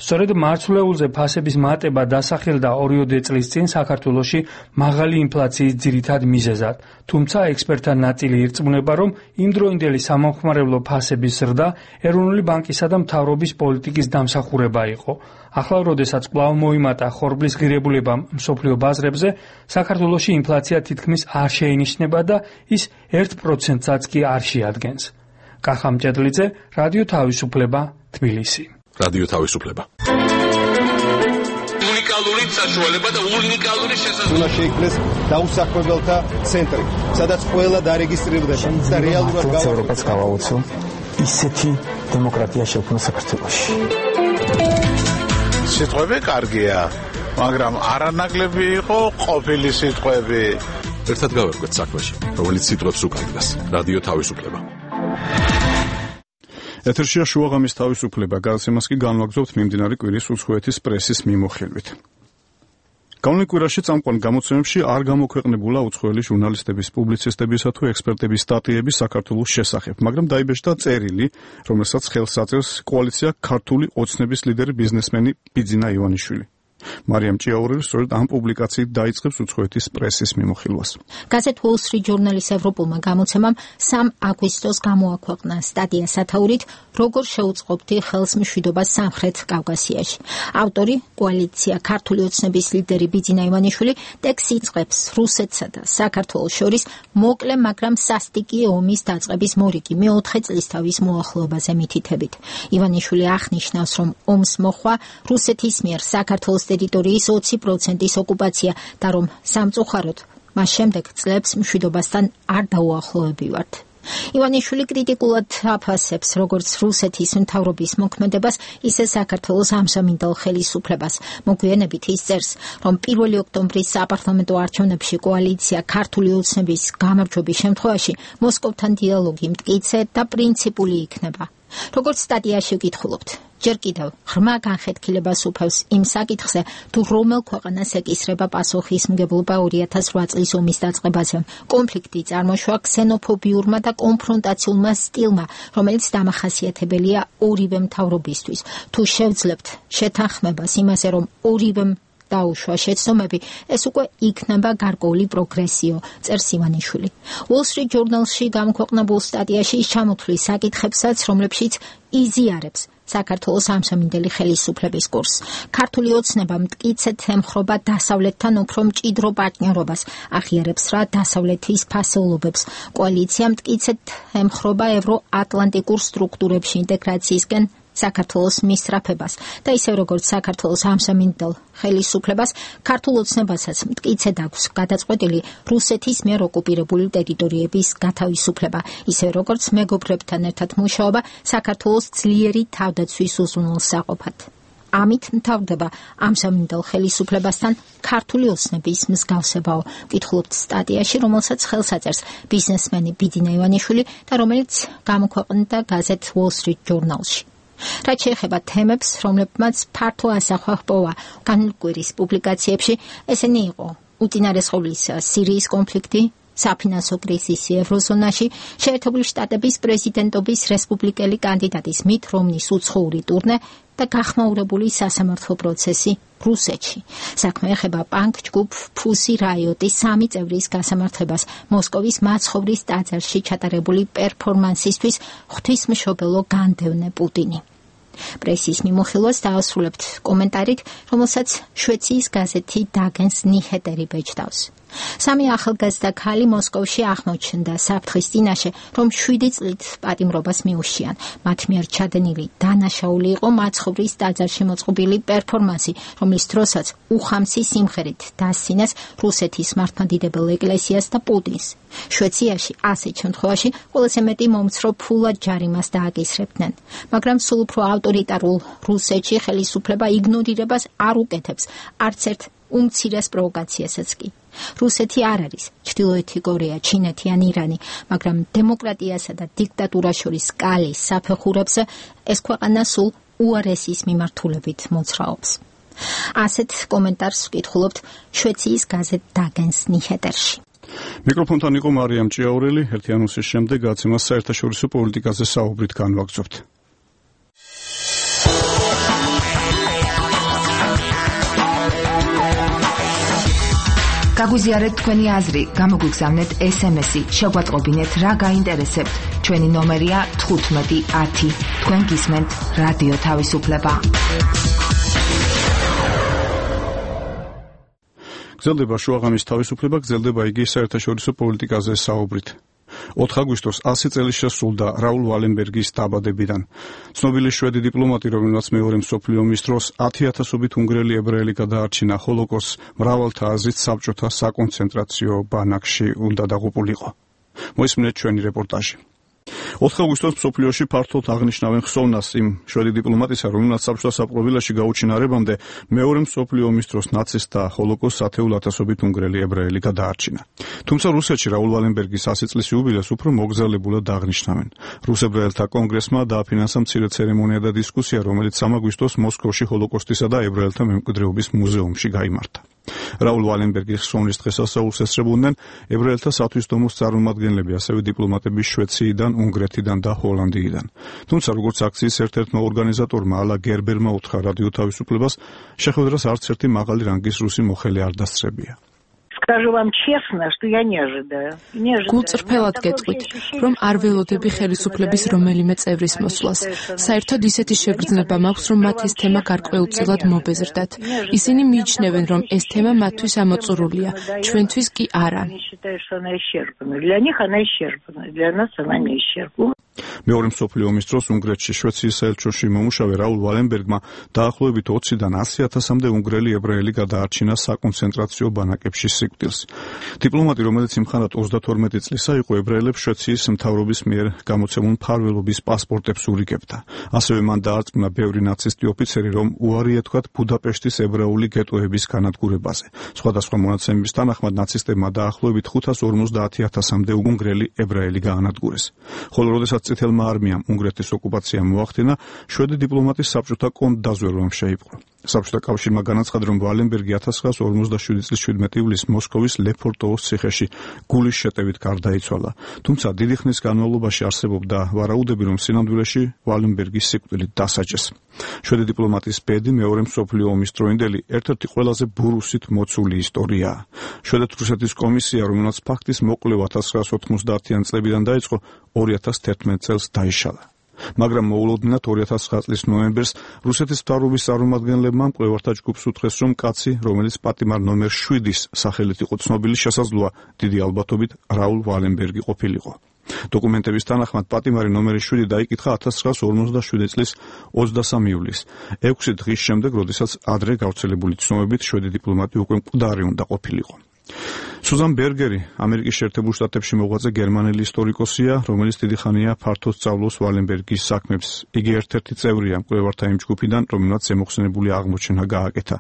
სწორედ მარცვლეულზე ფასების მატება დასახელდა ორიოდე წლის წინ საქართველოში მაღალი ინფლაციის ძირითად მიზეზად. თუმცა ექსპერტთა ნაწილი ირწმუნება, რომ იმდროინდელი სამომხმარებლო ფასების ზრდა ეროვნული ბანკისა და მთავრობის პოლიტიკის დამსახურება იყო. ახლა, როდესაც კვლავ მოიმატა ხორბლის ღირებულება მსოფლიო ბაზრებზე, საქართველოში ინფლაცია თითქმის არ შეინიშნება და ის ერთ პროცენტსაც კი არ შეადგენს. კახა მჭედლიძე, რადიო თავისუფლება, თბილისი. რადიო თავისუფლება. უნიკალური საშუალება და უნიკალური შესაძლებლობა. უნდა შეიქმნეს დაუსახმებელთა ცენტრი, სადაც ყველა დარეგისტრირდება და რეალურად გავაუწყოთ გავაუცო ისეთი დემოკრატია შექმნა საქართველოში. სიტყვები კარგია, მაგრამ არანაკლები იყო ყოფილი სიტყვები. ერთად გავერკვეთ საქმეში, რომელიც სიტყვებს უკავშირდება. რადიო თავისუფლება. ეთერშია შუაღამის თავისუფლება, გადაცემას კი განვაგრძობთ მიმდინარე კვირის უცხოეთის პრესის მიმოხილვით. გავლენ კვირაში წამყვან გამოცემებში არ გამოქვეყნებულა უცხოელი ჟურნალისტების, პუბლიცისტებისა თუ ექსპერტების სტატიები საქართველოს შესახებ, მაგრამ დაიბეჭდა წერილი, რომელსაც ხელს აწერს კოალიცია ქართული ოცნების ლიდერი ბიზნესმენი ბიძინა ივანიშვილი. მარიამ ჭიაურელი სწორედ ამ პუბლიკაციით დაიწყებს უცხოეთის პრესის მიმოხილვას. გაზეთ Wall Street Journal-ის ევროპულმა გამოცემამ სამი აგვისტოს გამოაქვეყნა სტატია სათაურით, როგორ შეუწყობდი ხელს მშვიდობას სამხრეთ კავკასიაში. ავტორი, კოალიცია ქართული ოცნების ლიდერი ბიძინა ივანიშვილი, ტექსტს იწყებს რუსეთსა და საქართველოს შორის მოკლე, მაგრამ სასტიკი ომის დაწყების მორიგი მეოთხე წლისთავის მოახლოებაზე მითითებით. ივანიშვილი აღნიშნავს, რომ ომს მოხვა რუსეთის მიერ საქართველოს ტერიტორიის ოცი პროცენტის ოკუპაცია და რომ სამწუხაროდ მას შემდეგ წლებს მშვიდობასთან არ დაუახლოვებივართ. ივანიშვილი კრიტიკულად აფასებს როგორც რუსეთის მთავრობის მოქმედებას, ისე საქართველოს ამსამინდელ ხელისუფლებას. მოგვიანებით ის წერს, რომ პირველი ოქტომბრის საპარლამენტო არჩევნებში კოალიცია ქართული ოცნების გამარჯვების შემთხვევაში მოსკოვთან დიალოგი მტკიცე და პრინციპული იქნება. როგორც სტატიაში ვკითხულობთ, ჯერ კიდევ ღრმა განხეთქილებას უფევს იმ საკითხზე, თუ რომელ ქვეყანას ეკისრება პასუხისმგებლობა ორი ათას ოთხ წლის ომის დაწყებაზე. კონფლიქტი წარმოშვა ქსენოფობიურმა და კონფრონტაციულმა სტილმა, რომელიც დამახასიათებელია ორივე მთავრობისთვის. თუ შევძლებთ შეთანხმებას იმაზე, რომ ორივე დაუშვა შეცდომები, ეს უკვე იქნება გარკვეული პროგრესიო, წერს ივანიშვილი. Wall Street Journal-ში გამოქვეყნებულ სტატიაში ის ჩამოთვლის საკითხებსაც, რომლებშიც იზიარებს საქართველოს ამსამინდელი ხელისუფლების კურსს. ქართული ოცნება მტკიცედ ემხრობა დასავლეთთან უფრო მჭიდრო პარტნიორობას, აღიარებს რა დასავლეთის ფასეულობებს. კოალიცია მტკიცედ ემხრობა ევროატლანტიკურ სტრუქტურებში ინტეგრაციისკენ საქართველოს მისწრაფებას და ისევ როგორც საქართველოს ამსამინდელ ხელისუფლებას, ქართულ ოცნებასაც მტკიცედ აქვს გადაწყვეტილი რუსეთის მიერ ოკუპირებული ტერიტორიების გათავისუფლება, ისევ როგორც მეგობრებთან ერთად მუშაობა საქართველოს ძლიერი თავდაცვის უზრუნველსაყოფად. ამით მთავრდება ამსამინდელ ხელისუფლებასთან ქართული ოცნების მსგავსებაო. ვკითხულობთ სტატიაში, რომელსაც ხელს აწერს ბიზნესმენი ბიძინა ივანიშვილი და რომელიც გამოქვეყნდა გაზეთ Wall Street Journal-ში. რაც შეეხება თემებს, რომლებმაც ფართო ასახვა ჰპოვა განვლ კვირის პუბლიკაციებში, ესენი იყო უწინარესყოვლისა სირიის კონფლიქტი, საფინანსო კრიზისი ევროზონაში, შეერთებული შტატების პრეზიდენტობის რესპუბლიკელი კანდიდატის მით რომნის უცხოური ტურნე და გახმაურებული სასამართლო პროცესი რუსეთში. საქმე ეხება პანკ ჯგუფ Pussy Riot-ის სამი წევრის გასამართლებას მოსკოვის მაცხოვრის ტაძარში ჩატარებული პერფორმანსისთვის ღვთისმშობელო განდევნე პუტინი. პრესის მიმოხილვას დაასრულებთ კომენტარით, რომელსაც შვეციის გაზეთი დაგენს ნიჰეტერი ბეჭდავს. სამი ახალგაზრდა ქალი მოსკოვში აღმოჩნდა საფრთხის წინაშე, რომ შვიდი წლით პატიმრობას მიუშიან. მათ მიერ ჩადენილი დანაშაული იყო მაცხოვრის ტაძარში მოწყობილი პერფორმანსი, რომლის დროსაც უხამსი სიმღერით დასცინეს რუსეთის მართლმადიდებელ ეკლესიას და პუტინს. შვეციაში ასეთ შემთხვევაში ყველაზე მეტი მომცრო ფულად ჯარიმას დააკისრებდნენ, მაგრამ სულ უფრო ავტორიტარულ რუსეთში ხელისუფლება იგნორირებას არ უკეთებს, არც ერთ უმცირეს პროვოკაციასაც კი. რუსეთი არ არის ჩრდილოეთი კორეა, ჩინეთი ან ირანი, მაგრამ დემოკრატიასა და დიქტატურას შორის სკალის საფეხურებზე ეს ქვეყანა სულ უარესის მიმართულებით მოძრაობს. ასეთ კომენტარს ვკითხულობთ შვეციის გაზეთ დაგენს ნიჰეტერში. მიკროფონთან იყო მარიამ ჭიაურელი, ერთი ანონსის შემდეგ გაცემას საერთაშორისო პოლიტიკაზე საუბრით განვაგრძობთ. გაგვიზიარეთ თქვენი აზრი, გამოგვიგზავნეთ ეს ემ ესი, შეგვატყობინეთ რა გაინტერესებთ. ჩვენი ნომერია თხუთმეტი ათი. თქვენ გისმენთ რადიო თავისუფლება. გრძელდება შუაღამის თავისუფლება, გრძელდება იგი საერთაშორისო პოლიტიკაზე საუბრით. ოთხ აგვისტოს ასი წელი შესრულდა რაულ ვალენბერგის დაბადებიდან. ცნობილი შვედი დიპლომატი, რომელმაც მეორე მსოფლიო ომის დროს ათი ათასობით უნგრელი ებრაელი გადაარჩინა ჰოლოკოსტს, მრავალთა აზრით საბჭოთა საკონცენტრაციო ბანაკში უნდა დაღუპულიყო. მოისმინეთ ჩვენი რეპორტაჟი. ოთხ აგვისტოს მსოფლიოში ფართოდ აღნიშნავენ ხსოვნას იმ შვედი დიპლომატისა, რომელმაც საბჭოთა საპყრობილეში გაუჩინარებამდე მეორე მსოფლიო ომის დროს ნაცისტთა ჰოლოკოსტს ათეულ ათასობით უნგრელი ებრაელი გადაარჩინა. თუმცა რუსეთში რაულ ვალენბერგის ასი წლის იუბილეს უფრო მოგზაურებულად აღნიშნავენ. რუს ებრაელთა კონგრესმა დააფინანსა მცირე ცერემონია და დისკუსია, რომელიც სამ აგვისტოს მოსკოვში ჰოლოკოსტისა და ებრაელთა მემკვიდრეობის მუზეუმში გაიმართა. რაულ ვალენბერგის ხსოვნის დღესასწაულს ესწრებოდნენ ებრაელთა სათვისდომოს წარმომადგენლები, ასევე დიპლომატები შვეციიდან, უნგრეთიდან და ჰოლანდიიდან. თუმცა როგორც აქციის ერთ-ერთმა ორგანიზატორმა ალა გერბერმა უთხრა რადიო თავისუფლებას, შეხვედრას არც ერთი მაღალი რანგის რუსი მოხელე არ დასწრებია. Скажу вам честно, что я не ожидаю. Не ожидаю. გულწრფელად გეტყვით, რომ არ ველოდები ხელისუფლების რომელიმე წევრის მოსვლას. საერთოდ ისეთი შეგრძნება მაქვს, რომ მათ ეს თემა გარკვეულწილად მობეზრდათ. ისინი მიიჩნევენ, რომ ეს თემა მათთვის ამოწურულია, ჩვენთვის კი არა. Для них она исчерпана, для нас она не исчерпана. მეორე მსოფლიო ომის დროს უნგრეთში შვეციის საელჩოში მომუშავე რაულ ვალენბერგმა დაახლოებით ოციდან ასი ათასამდე უნგრელი ებრაელი გადაარჩინა საკონცენტრაციო ბანაკებში სიკვდილს. დიპლომატი, რომელიც იმხანად ოცდათორმეტი წლისა იყო, ებრაელებს შვეციის მთავრობის მიერ გამოცემულ მფარველობის პასპორტებს ურიგებდა. ასევე მან დაარწმუნა ბევრი ნაცისტი ოფიცერი, რომ უარი ეთქვათ ბუდაპეშტის ებრაული გეტოების განადგურებაზე. სხვადასხვა მონაცემების თანახმად ნაცისტებმა დაახლოებით ხუთას ორმოცდაათი ათასამდე უნგრელი ებრაელი გაანადგურეს. ხოლო როდესაც წითელმა არმიამ უნგრეთის ოკუპაცია მოახდინა, შვედი დიპლომატის საბჭოთა კონტრდაზვერვამ შეიპყრო. საბჭოთა კავშირმა განაცხადა, რომ ვალენბერგი ათას ცხრაას ორმოცდაშვიდი წლის შვიდმეტი ივლისს მოსკოვის ლეფორტოვოს ციხეში გულის შეტევით გარდაიცვალა. თუმცა დიდი ხნის განმავლობაში არსებობდა ვარაუდები, რომ სინამდვილეში ვალენბერგის სიკვდილით დასაჯეს. შვედი დიპლომატის ბედი მეორე მსოფლიო ომის დროინდელი ერთ-ერთი ყველაზე ბურუსით მოცული ისტორიაა. შვედეთ-რუსეთის კომისია, რომელმაც ფაქტის მოკვლევა ათას ცხრაას ოთხმოცდაათიან წლებიდან დაიწყო, ორი ათას თერთმეტ წელს დაიშალა. მაგრამ მოულოდნელად ორი ათას ცხრა წლის ნოემბერს რუსეთის მთავრობის წარმომადგენლებმა მკვლევართა ჯგუფს უთხრეს, რომ კაცი, რომელიც პატიმარ ნომერ შვიდის სახელით იყო ცნობილი, შესაძლოა დიდი ალბათობით რაულ ვალენბერგი ყოფილიყო. დოკუმენტების თანახმად პატიმარი ნომერი შვიდი დაიკითხა ათას ცხრაას ორმოცდაშვიდი წლის ოცდასამი ივლისს, ექვსი დღის შემდეგ, როდესაც ადრე გავრცელებული ცნობებით შვედი დიპლომატი უკვე მკვდარი უნდა ყოფილიყო. სუზან ბერგერი, ამერიკის შეერთებულ შტატებში მოღვაწე გერმანელი ისტორიკოსია, რომელიც დიდი ხანია ფართოდ სწავლობს ვალენბერგის საქმებს. იგი ერთ-ერთი წევრია მკვლევართა იმ ჯგუფიდან, რომელმაც ზემოხსენებული აღმოჩენა გააკეთა.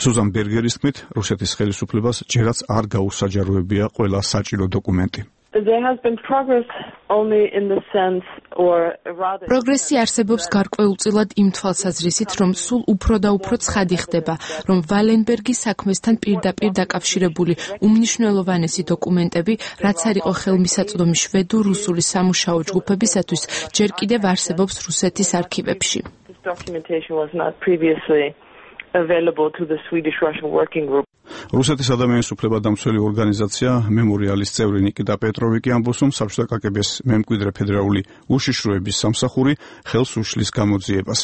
სუზან ბერგერის თქმით, რუსეთის ხელისუფლებას ჯერაც არ გაუსაჯაროებია ყველა საჭირო დოკუმენტი. There has been progress only in the sense or rather პროგრესი არსებობს გარკვეულწილად იმ თვალსაზრისით, რომ სულ უფრო და უფრო ცხადი ხდება, რომ ვალენბერგის საქმესთან პირდაპირ დაკავშირებული უმნიშვნელოვანესი დოკუმენტები, რაც არ იყო ხელმისაწვდომი შვედურ-რუსული სამუშაო ჯგუფებისათვის, ჯერ კიდევ არსებობს რუსეთის არქივებში. This documentation was not previously available to the Swedish-Russian working group. რუსეთის ადამიანის უფლებადამცველი ორგანიზაცია მემორიალის წევრი ნიკიტა პეტროვი კი ამბობს, რომ საბჭოთა კაგებეს მემკვიდრე ფედერალური უშიშროების სამსახური ხელს უშლის გამოძიებას.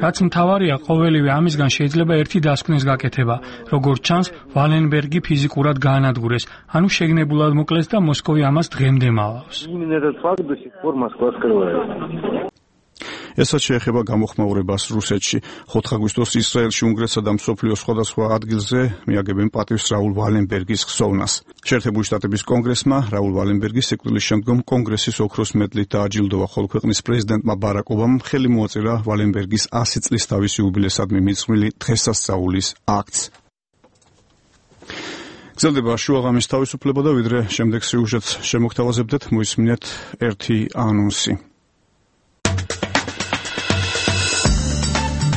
რაც მთავარია, ყოველივე ამისგან შეიძლება ერთი დასკვნის გაკეთება, როგორც ჩანს, ვალენბერგი ფიზიკურად გაანადგურეს, ანუ შეგნებულად მოკლეს და მოსკოვი ამას დღემდე მალავს. ესაც შეეხება გამოხმაურებას რუსეთში. ოთხ აგვისტოს ისრაელში, უნგრეთსა და მსოფლიოს სხვადასხვა ადგილზე მიაგებენ პატივს რაულ ვალენბერგის ხსოვნას. შეერთებული შტატების კონგრესმა რაულ ვალენბერგის სიკვდილის შემდგომ კონგრესის ოქროს მედლით დააჯილდოვა, ხოლო ქვეყნის პრეზიდენტმა ბარაკ ობამამ ხელი მოაწერა ვალენბერგის ასი წლის თავის იუბილესადმი მიძღვნილი დღესასწაულის აქტს. გრძელდება შუაღამის თავისუფლება და ვიდრე შემდეგ სიუჟეტს შემოგთავაზებდეთ, მოისმინეთ ერთი ანონსი.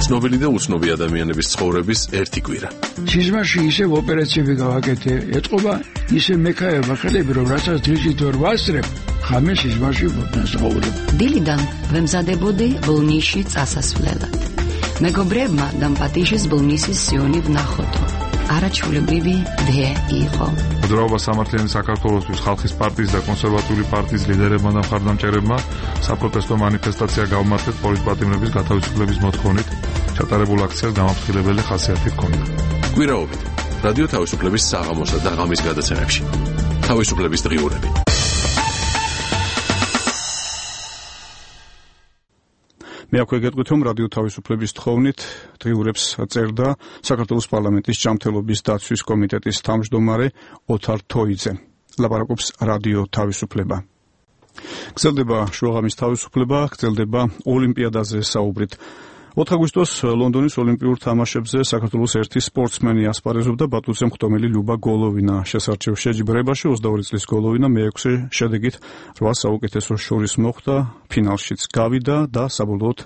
ცნობილი და უცნობი ადამიანების ცხოვრების ერთი კვირა. სიზმარში ისევ ოპერაციები გავაკეთე, ეთყობა ისე მექაება ხელები, რომ რასაც დღისით ვერ ვასწრებ, ხამე სიზმარში ვდასაუბრებ. დილიდან ვემზადებოდი ბოლნისში წასასვლელად. მეგობრებმა დამპატიშეს ბოლნისის სიონი ვნახოთო. არაჩვეულებრივი დე იყო. მოძრაობა სამართლიანი საქართველოსთვის ხალხის პარტიის და კონსერვატიული პარტიის ლიდერებმა და მხარდამჭერებმა საპროტესტო მანიფესტაცია გავმართეთ პოლიტპატიმრების გათავისუფლების მოთხოვნით. ჩატარებულ აქციას გამაფრთხილებელი ხასიათი ჰქონდა. კვირაობით რადიო თავისუფლების საღამოსა და ღამის გადაცემებში. თავისუფლების დღიურები. მე აქვე გეტყვით, რომ რადიო თავისუფლების თხოვნით დღიურებს წერდა საქართველოს პარლამენტის ჯანმრთელობის დაცვის კომიტეტის თავმჯდომარე ოთარ თოიძე. ლაპარაკობს რადიო თავისუფლება. გრძელდება შუაღამის თავისუფლება, გრძელდება ოლიმპიადაზე საუბრით. ოთხ აგვისტოს ლონდონის ოლიმპიურ თამაშებზე საქართველოს ერთი სპორტსმენი ასპარეზობდა ბატუცემ ხტომელი ლიუბა გოლოვინა შესარჩევ შეჯიბრებაში. ოცდაორი წლის გოლოვინა მეექვსე შედეგით რვა საუკეთესოს შორის მოხვდა, ფინალშიც გავიდა და საბოლოოდ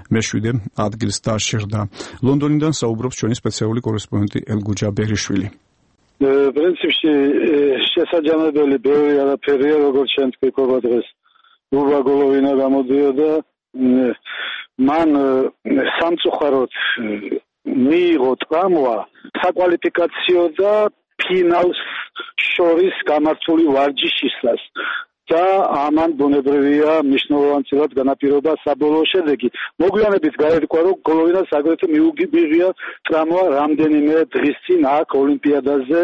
მეშვიდე ადგილს დაშერდა. ლონდონიდან საუბრობს ჩვენი სპეციალური კორესპონდენტი ელგუჯა ბერიშვილი. პრინციპში შესაძამებელი ბევრი არაფერია, როგორც ჩვენ თქვა დღეს. ლიუბა გოლოვინა გამოდიოდა მან სამწუხაროდ მიიღო ტრამვა საკვალიფიკაციო და ფინალს შორის გამართული ვარჯიშისას და ამან ბუნებრივია მნიშვნელოვანად განაპირობა საბოლოო შედეგი. მოგვიანებით გაირკვა, რომ გოლოვინას აგრეთვე მიუღია ტრამვა რამდენიმე დღის წინ აქ ოლიმპიადაზე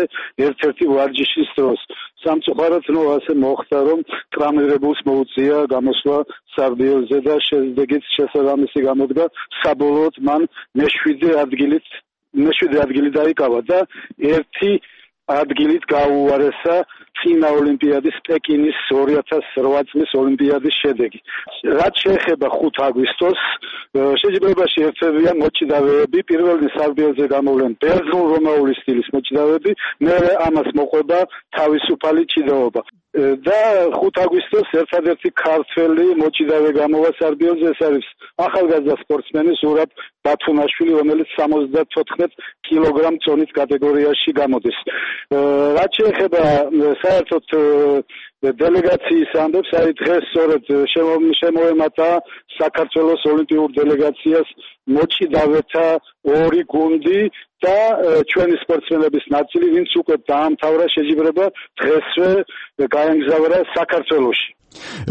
ერთ-ერთი ვარჯიშის დროს. სამწუხაროდ ნუ ასე მოხდა, რომ ტრამირებულს მოუწია გამოსვლა სარდიელზე და შედეგიც შესაბამისი გამოდგა. საბოლოოდ მან მეშვიდე ადგილით მეშვიდე ადგილი დაიკავა და ერთი ადგილით გაუარესა წინა ოლიმპიადის პეკინის ორი ათას რვა წლის ოლიმპიადის შედეგი. რაც შეეხება ხუთ აგვისტოს, შეჯიბრებაში ერთებიან მოჭიდავეები, პირველი სარდიელზე გამოვლენ ბერძნულ-რომაული სტილის მოჭიდავეები, მერე ამას მოყვება თავისუფალი ჭიდაობა. და ხუთ აგვისტოს ერთადერთი ქართველი მოჭიდავე გამოვა სარდიელზე, ეს არის ახალგაზრდა სპორტსმენი ზურაბ ბათუნაშვილი, რომელიც სამოცდათოთხმეტ კილოგრამ წონით კატეგორიაში გამოდის. რაც შეეხება საერთოდ დელეგაციის ამბებს, აი დღეს სწორედ შემოემატა საქართველოს ოლიმპიურ დელეგაციას მოჭიდავეთა ორი გუნდი და ჩვენი სპორტსმენების ნაწილი, ვინც უკვე დაამთავრა შეჯიბრება, დღესვე გაემგზავრა საქართველოში.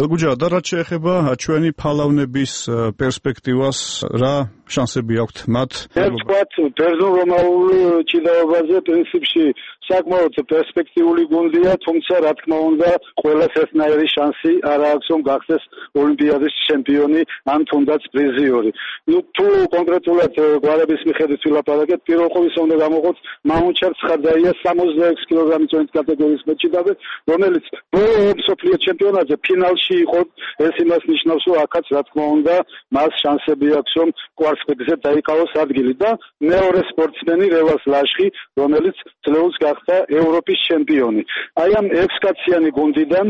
ელგუჯა, და რაც შეეხება ჩვენი ფალავნების პერსპექტივას, რა შანსები აქვთ მათ? ერთგვარად ბერძნულ-რომაულ ჭიდაობაზე პრინციპში საკმაოდ პერსპექტიული გუნდია, თუმცა რა თქმა უნდა, ყველას ერთნაირი შანსი არ აქვს, რომ გახდეს ოლიმპიადის ჩემპიონი, ან თუნდაც პრიზიორი. ნუ თუ კონკრეტულად გვარების მიხედვით ვილაპარაკეთ, პირველ ყოვლისა უნდა გამოყოთ მაუნჩარ ცხაძაია სამოცდაექვსი კილოგრამი წონით კატეგორიის მოჭიდავე, რომელიც ბოლო მსოფლიო ჩემპიონატზე ფინალში იყო. ეს იმას ნიშნავს, რომ აქაც რა თქმა უნდა მას შანსები აქვს, რომ კვარს დასაწყისზე დაიკავოს ადგილი და მეორე სპორტსმენი რევას ლაშხი, რომელიც წლეულს გახდა ევროპის ჩემპიონი. აი ამ ექვსკაციანი გუნდიდან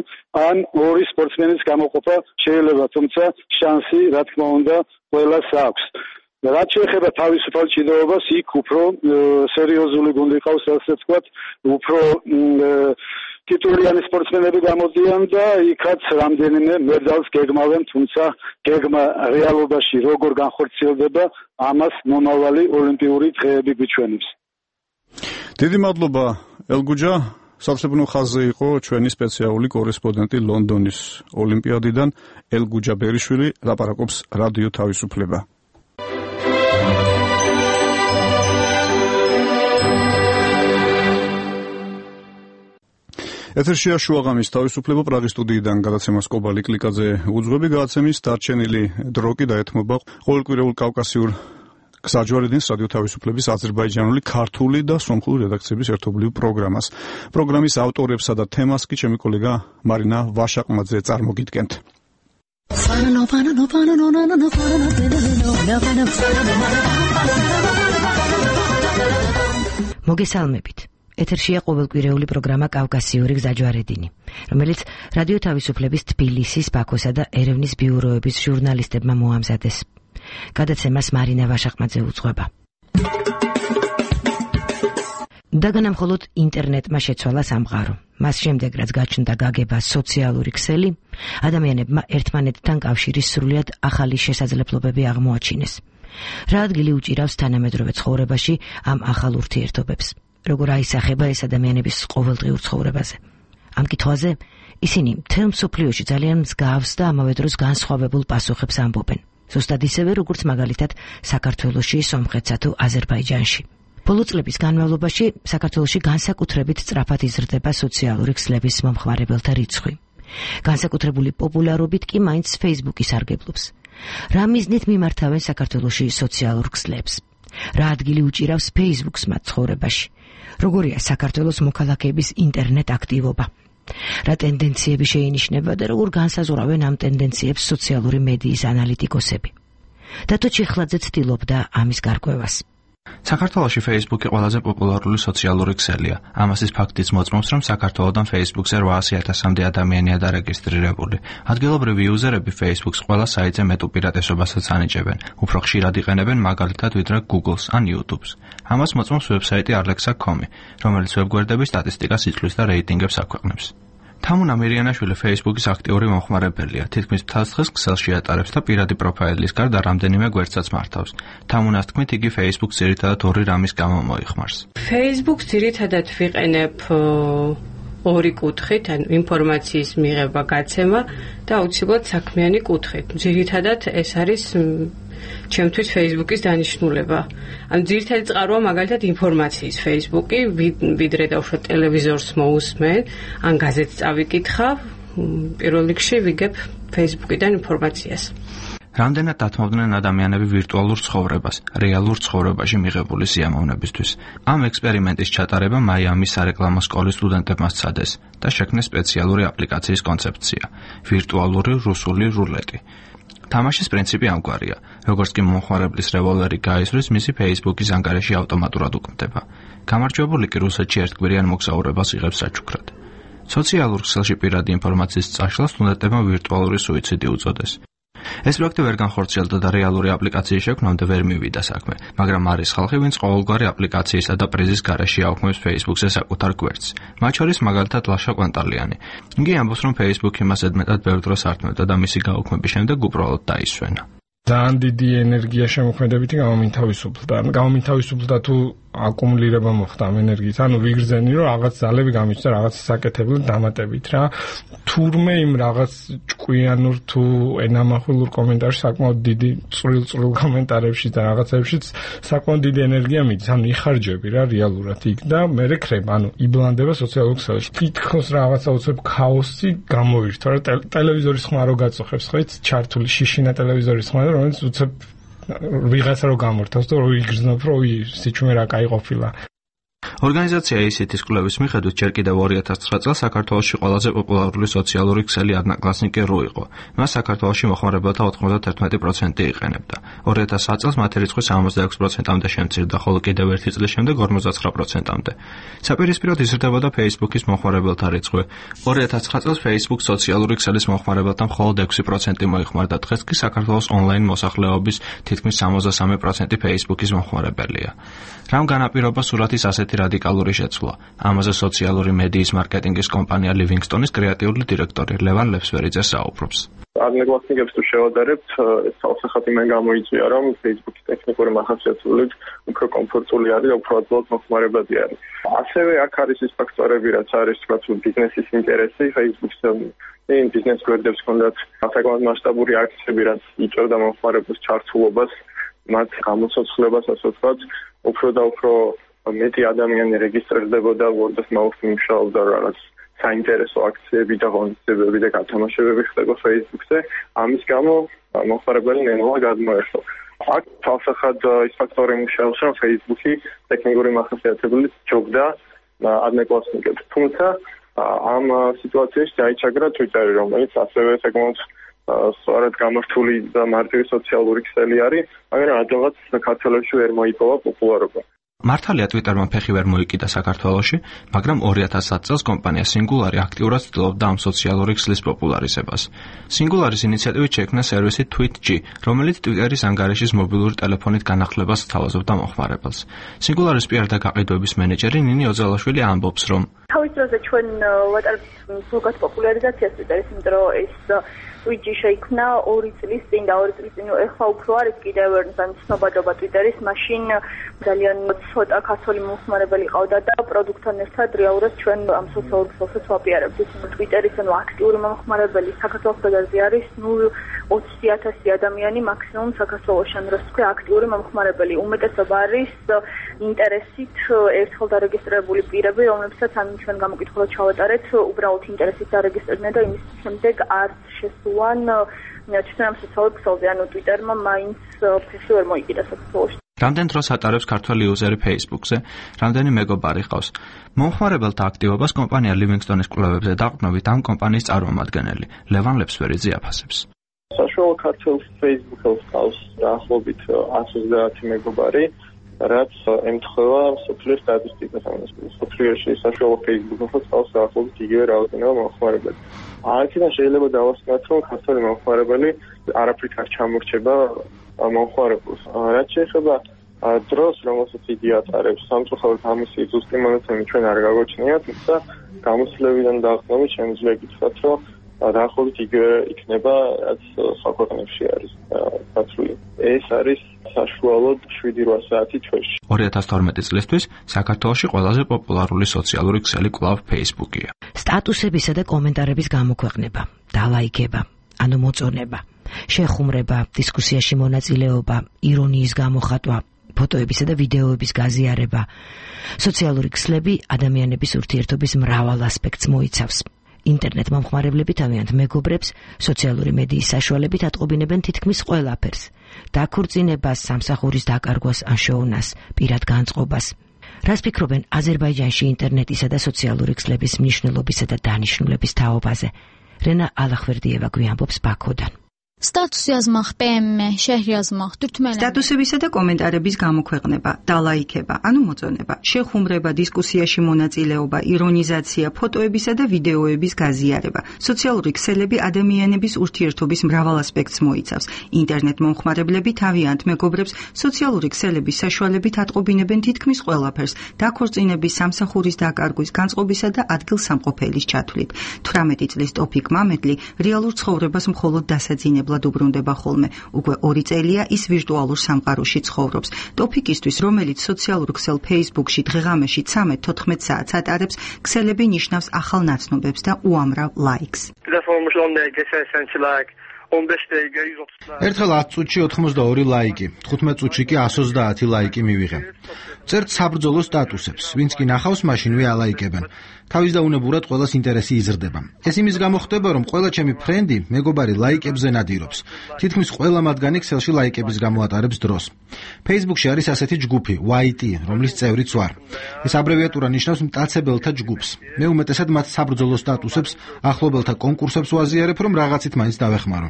ან ორი სპორტსმენის გამოყოფა შეიძლება, თუმცა შანსი, რა თქმა უნდა, ყველას აქვს. რაც შეეხება თავისუფალ ჭიდაობას, იქ უფრო სერიოზული გუნდი ყავს, ასე ვთქვათ, უფრო ტიტულიანი სპორტსმენები გამოდიან და იქაც რამდენიმე მედალს გეგმავენ, თუმცა გეგმა რეალობაში როგორ განხორციელდება, ამას მომავალი ოლიმპიური დღეები გვიჩვენებს. დიდი მადლობა ელგუჯა. საცებრნო ხაზზე იყო ჩვენი სპეციალური კორესპონდენტი ლონდონის ოლიმპიადიდან ელგუჯა ბერიშვილი, ლაპარაკობს რადიო თავისუფლება. ეთერშია შუაღამის თავისუფლება პრაღის სტუდიიდან გადაცემას კობალი კლიკაძე უძღვები გადაცემის დარჩენილი დრო კი დაეთმობა ყოველკვირეულ კავკასიურ გზაჯვარედინს რადიო თავისუფლების აზერბაიჯანული, ქართული და სომხური რედაქციების ერთობლივ პროგრამას. პროგრამის ავტორებსა და თემას კი ჩემი კოლეგა მარინა ვაშაყმაძე წარმოგიდგენთ. მოგესალმებით. ეთერშია ყოველკვირეული პროგრამა კავკასიური გზაჯვარედინი, რომელიც რადიო თავისუფლების თბილისის, ბაქოსა და ერევნის ბიუროების ჟურნალისტებმა მოამზადეს. გადაცემას მარინა ვაშაყმაძე უძღვება. დაგანა მხოლოდ ინტერნეტმა შეცვალა სამყარო. მას შემდეგ, რაც გაჩნდა გაგება სოციალური ქსელი, ადამიანებმა ერთმანეთთან კავშირის სრულიად ახალი შესაძლებლობები აღმოაჩინეს. რა ადგილი უჭირავს თანამედროვე ცხოვრებაში ამ ახალ ურთიერთობებს? როგორ აისახება ეს ადამიანების ყოველდღიურ ცხოვრებაზე? ამ კითხვაზე ისინი მთელ მსოფლიოში ძალიან მსგავს და ამავე დროს განსხვავებულ პასუხებს ამბობენ. ზუსტად ისევე, როგორც მაგალითად საქართველოში, სომხეთსა თუ აზერბაიჯანში. ბოლო წლების განმავლობაში საქართველოში განსაკუთრებით სწრაფად იზრდება სოციალური ქსლების მომხმარებელთა რიცხვი. განსაკუთრებული პოპულარობით კი მაინც Facebook-ი სარგებლობს. რა მიზნით მიმართავენ საქართველოში სოციალურ ქსლებს? რა ადგილი უჭირავს Facebook-ს მათ ცხოვრებაში? როგორია საქართველოს მოქალაქეების ინტერნეტ აქტივობა? რა ტენდენციები შეინიშნება და როგორ განსაზღვრავენ ამ ტენდენციებს სოციალური მედიის ანალიტიკოსები? დათო ჩიხლაძე ცდილობდა ამის გარკვევას. საქართველოში Facebook-ი ყველაზე პოპულარული სოციალური ქსელია. ამასის ფაქტიც მოწმობს, რომ საქართველოდან Facebook-ზე რვაასი ათასამდე ადამიანია დარეგისტრირებული. ადგილობრივი იუზერები Facebook-ს ყველა საიტზე მეტ უპირატესობასაც ანიჭებენ. უფრო ხშირად იყენებენ მაგალითად ვიდრე Google-ს ან YouTube-ს. ამას მოწმობს ვებსაიტი Alexa kropka com, რომელიც ვებგვერდების სტატისტიკას იწვლის და რეიტინგებს აქვეყნებს. თამუნა მირიანაშვილი Facebook-ის აქტიური მომხმარებელია. თითქმის მთელს დღეს ქსელში ატარებს და პირადი პროფაილის გარდა რამდენიმე გვერდსაც მართავს. თამუნას თქმით, იგი Facebook-ს ძირითადად ორი რამის გამო მოიხმარს. Facebook-ს ძირითადად ვიყენებ ორი კუთხით, ან ინფორმაციის მიღება, გაცემა და აუცილებლად საქმიანი კუთხით. ძირითადად ეს არის ჩემთვის Facebook-ის დანიშნულება. ან ძირითადი წყაროა მაგალითად ინფორმაციის Facebook-ი, ვიდრე დავუშვათ ტელევიზორს მოусმენ, ან გაზეთს წავიკითხავ, პირველ რიგში ვიგებ Facebook-იდან ინფორმაციას. რამდენად დათმობდნენ ადამიანები ვირტუალურ ცხოვრებას, რეალურ ცხოვრებაში მიღებული სიამოვნებისთვის. ამ ექსპერიმენტის ჩატარება მაიამის სარეკლამო სკოლის სტუდენტებმა სცადეს და შექმნეს სპეციალური აპლიკაციის კონცეფცია, ვირტუალური რუსული რულეტი. თამაშის პრინციპი ამგვარია. როგორც კი მომხმარებლის რევოლვერი გაისვრის, მისი Facebook-ის ანგარიში ავტომატურად უკმდება. გამარჯვებული კი რუსეთში ერთკვირიან მოგზაურებას იღებს საჩუქრად. სოციალურ ქსელში პირადი ინფორმაციის წაშლას სტუდენტებმა ვირტუალური სუიციდი უწოდეს. ეს პროექტი ვერ განხორციელდა და რეალური აპლიკაციის შექმნამდე ვერ მივიდა საქმე, მაგრამ არის ხალხი, ვინც ყოველგვარი აპლიკაციისა და პრიზის გარეშე აუქმებს Facebook-ზე საკუთარ გვერდს. მათ შორის მაგალითად ლაშა კვანტალიანი. იგი ამბობს, რომ Facebook-ი მას ზედმეტად ბევრ დროს ართმევდა და მისი გაუქმების შემდეგ უბრალოდ დაისვენა. ძალიან დიდი ენერგია შემოქმედებითი გამომთავისუფლდა. გამომთავისუფლდა თუ აკუმულირება მოხდა ამ ენერგიით. ანუ ვიგრძენი, რომ რაღაც ძალები გამიჩნდა რაღაც საკეთებლად დამატებით რა. თურმე იმ რაღაც ჭკვიანურ თუ ენამახვილურ კომენტარში საკმაოდ დიდი წვრილ-წვრილ კომენტარებში და რაღაცებშიც საკმაოდ დიდი ენერგია მიდის. ანუ იხარჯები რა რეალურად იქ და მე რეკრება, ანუ იბლანდება სოციალურ ქსელში. თითქოს რაღაცა უცებ ქაოსი გამოირთვა რა. ტელევიზორის ხმა რო გაწოხებს ხო იცი, ჩართული შიშინა ტელევიზორის ხმა, რომელიც უცებ ვიღაცა რო გამორთავს და რო იგრძნობს, რომ სიჩუმე რა კაი ყოფილა. ორგანიზაცია ისითის კვლევის მიხედვით ჯერ კიდევ ორი ათას ცხრა წელს საქართველოში ყველაზე პოპულარული სოციალური ქსელი одноклассники ru იყო. მას საქართველოში მოხმარებელთა ოთხმოცდათერთმეტი პროცენტი იყენებდა. ორი ათას ათი წელს მათი რიცხვი სამოცდაექვსი პროცენტამდე შემცირდა, ხოლო კიდევ ერთი წლის შემდეგ ორმოცდაცხრა პროცენტამდე. საპირისპიროდ იზრდებოდა Facebook-ის მომხმარებელთა რიცხვი. ორი ათას ცხრა წელს Facebook სოციალური ქსელის მომხმარებელთა მხოლოდ ექვსი პროცენტი მოიხმარდა, დღეს კი საქართველოს ონლაინ მოსახლეობის თითქმის სამოცდასამი პროცენტი Facebook-ის მომხმარებელია. რამ განაპირობა სურათის ასეთი რადიკალური შეცვლა? ამაზე სოციალური მედიის მარკეტინგის კომპანია Livingstone-ის კრეატიული დირექტორი ლევან ლეფსვერიძე საუბრობს. Adnoklassnikებს თუ შევადარებთ, ეს თავსახად იმენ გამოიწვია, რომ Facebook-ის ტექნიკური მახასიათებლით უფრო კომფორტული არის, უფრო ადვილად მოხმარებადი არის. ასევე აქ არის ის ფაქტორები, რაც არის თქვათ ბიზნესის ინტერესი, Facebook-ს იმ ბიზნეს გვერდებს ჰქონდათ საკმაოდ მასშტაბური აქციები, რაც იწვევდა მომხმარებლის ჩართულობას, მათ გამოცოცხლებას, ასე ვთქვათ, უფრო და უფრო მეტი ადამიანი რეგისტრირდებოდა Word of Mouth მუშაობდა რაღაც საინტერესო აქციები და ღონისძიებები და გათამაშებები ხდება Facebook-ზე. ამის გამო მომხმარებელი ნელა გადმოერთო. აქ თავსახად ის ფაქტორი მუშაობს, რომ Facebook-ი ტექნიკური მახასიათებლით ჯობდა adnoklassnikებს. თუმცა ამ სიტუაციაში დაიჩაგრა Twitter-ი, რომელიც ასევე საკმაოდ სწორად გამართული და მარტივი სოციალური ქსელი არის, მაგრამ ადვილად საქართველოში ვერ მოიპოვა პოპულარობა. მართალია Twitter-მა ფეხი ვერ მოიკიდა საქართველოში, მაგრამ ორი ათას ათი წელს კომპანია Singular-ი აქტიურად ცდილობდა ამ სოციალური ქსლის პოპულარიზებას. Singular-ის ინიციატივით შექმნა სერვისი TweetG, რომელიც Twitter-ის ანგარიშის მობილური ტელეფონით განახლებას სთავაზობდა მომხმარებელს. Singular-ის პიარ და გაყიდვების მენეჯერი ნინი ოძელაშვილი ამბობს, რომ თავის დროზე ჩვენ ვატარებთ სულგად პოპულარიზაციას Twitter-ის, იმიტომ რომ ეს TweetG შეიქმნა ორი წლის წინ და ორი წლის წინ ეხლა უფრო არის კიდევ ცნობადობა Twitter-ის, მაშინ ძალიან ცოტა ქართული მომხმარებელი ყავდა და პროდუქტთან ერთად რეალურად ჩვენ ამ სოციალურ ქსელსაც ვაპიარებთ. Twitter-ის ანუ აქტიური მომხმარებელი საქართველოს ბაზარზე არის ნულ ოცი ათასი ადამიანი მაქსიმუმ საქართველოში, ან რა ვთქვი, აქტიური მომხმარებელი. უმეტესობა არის ინტერესით ერთხელ დარეგისტრირებული პირები, რომლებსაც ან ჩვენ გამოკითხულად ჩავატარეთ, უბრალოდ ინტერესით დარეგისტრირდნენ და იმის შემდეგ არც შესულან ჩვენ ამ სოციალურ ქსელზე, ანუ Twitter-მა მაინც ფეხი ვერ მოიკიდა საქართველოში. რამდენ დროს ატარებს ქართველი იუზერი Facebook-ზე, რამდენი მეგობარი ყავს. მომხმარებელთა აქტივობას კომპანია Livingstone-ის კვლევებზე დაყრდნობით ამ კომპანიის წარმომადგენელი ლევან ლეფსვერიძე აფასებს. საშუალო ქართულ Facebook-ს ყავს დაახლოებით ათს ოცდაათი მეგობარი, რაც ემთხვევა სოფლის სტატისტიკას, ანუ სოფლიოში საშუალო Facebook-ს ყავს დაახლოებით იგივე რაოდენობა მომხმარებელი. აქედან შეიძლება დავასკვნათ, რომ ქართველი მომხმარებელი არაფრით არ ჩამორჩება მომხმარებელს. რაც შეეხება დროს, რომელსაც იგი ატარებს, სამწუხაროდ ამისი ზუსტი მონაცემი ჩვენ არ გაგვაჩნია, თუმცა გამოსვლებიდან დაახლოებით შემიძლია გითხრათ, რომ დაახლოებით იგივე იქნება, რაც სხვა ქვეყნებში არის დაცული. ეს არის საშუალოდ შვიდი რვა საათი თვეში. ორი ათას თორმეტი წლისთვის საქართველოში ყველაზე პოპულარული სოციალური ქსელი კვლავ Facebook-ია. სტატუსებისა და კომენტარების გამოქვეყნება, დალაიქება, ანუ მოწონება, შეხუმრება, დისკუსიაში მონაწილეობა, ირონიის გამოხატვა, ფოტოებისა და ვიდეოების გაზიარება. სოციალური ქსლები ადამიანების ურთიერთობის მრავალ ასპექტს მოიცავს. ინტერნეტ მომხმარებლები თავიანთ მეგობრებს სოციალური მედიის საშუალებით ატყობინებენ თითქმის ყველაფერს. დაქორწინებას, სამსახურის დაკარგვას ან შოუნას, პირად განწყობას. რას ფიქრობენ აზერბაიჯანში ინტერნეტისა და სოციალური ქსლების მნიშვნელობისა და დანიშნულების თაობაზე? რენა ალახვერდიევა გვიამბობს ბაქოდან. სტატუსი აზმახ, პემ, შეჰრი აზმახ, თურთმელა. სტატუსებისა და კომენტარების გამოქვეყნება, დალაიქება, ანუ მოწონება, შეხუმრება, დისკუსიაში მონაწილეობა, ირონიზაცია, ფოტოებისა და ვიდეოების გაზიარება. სოციალური ქსელები ადამიანების ურთიერთობის მრავალ ასპექტს მოიცავს. ინტერნეტ მომხმარებლები თავიანთ მეგობრებს სოციალური ქსელების საშუალებით ატყობინებენ თითქმის ყველაფერს, დაქორწინების, სამსახურის დაკარგვის, განწყობისა და ადგილსამყოფელის ჩათვლით. თვრამეტი წლის ტოფიკ მამედლი რეალურ ცხოვრებას მხოლოდ დასაძინებლად უბრუნდება ხოლმე. უკვე ორი წელია ის ვირტუალურ სამყაროში ცხოვრობს. ტოფიკისთვის, რომელიც სოციალურ ქსელ Facebook-ში დღეღამეში ცამეტ თოთხმეტ საათს ატარებს, ქსელები ნიშნავს ახალ ნაცნობებს და უამრავ ლაიქს. ერთხელ ათ წუთში ოთხმოცდაორი ლაიკი, თხუთმეტ წუთში კი εκατს ოცდაათი ლაიკი მივიღე. წერთ საბრძოლო სტატუსებს, ვინც კი ნახავს, მაშინვე ალაიკებენ. თავის დაუნებურად ყველას ინტერესი იზრდება. ეს იმის გამო ხდება, რომ ყველა ჩემი ფრენდი, მეგობარი ლაიკებზე ნადირობს. თითქმის ყველა მათგანი ქსელში ლაიკების გამო ატარებს დროს. Facebook-ში არის ასეთი ჯგუფი, ვაი ტი, რომლის წევრიც ვარ. ეს აბრევიატურა ნიშნავს მტაცებელთა ჯგუფს. მე უმეტესად მათ საბრძოლო სტატუსებს, ახლობელთა კონკურსებს ვაზიარებ, რომ რაღაცით მაინც დავეხმარო.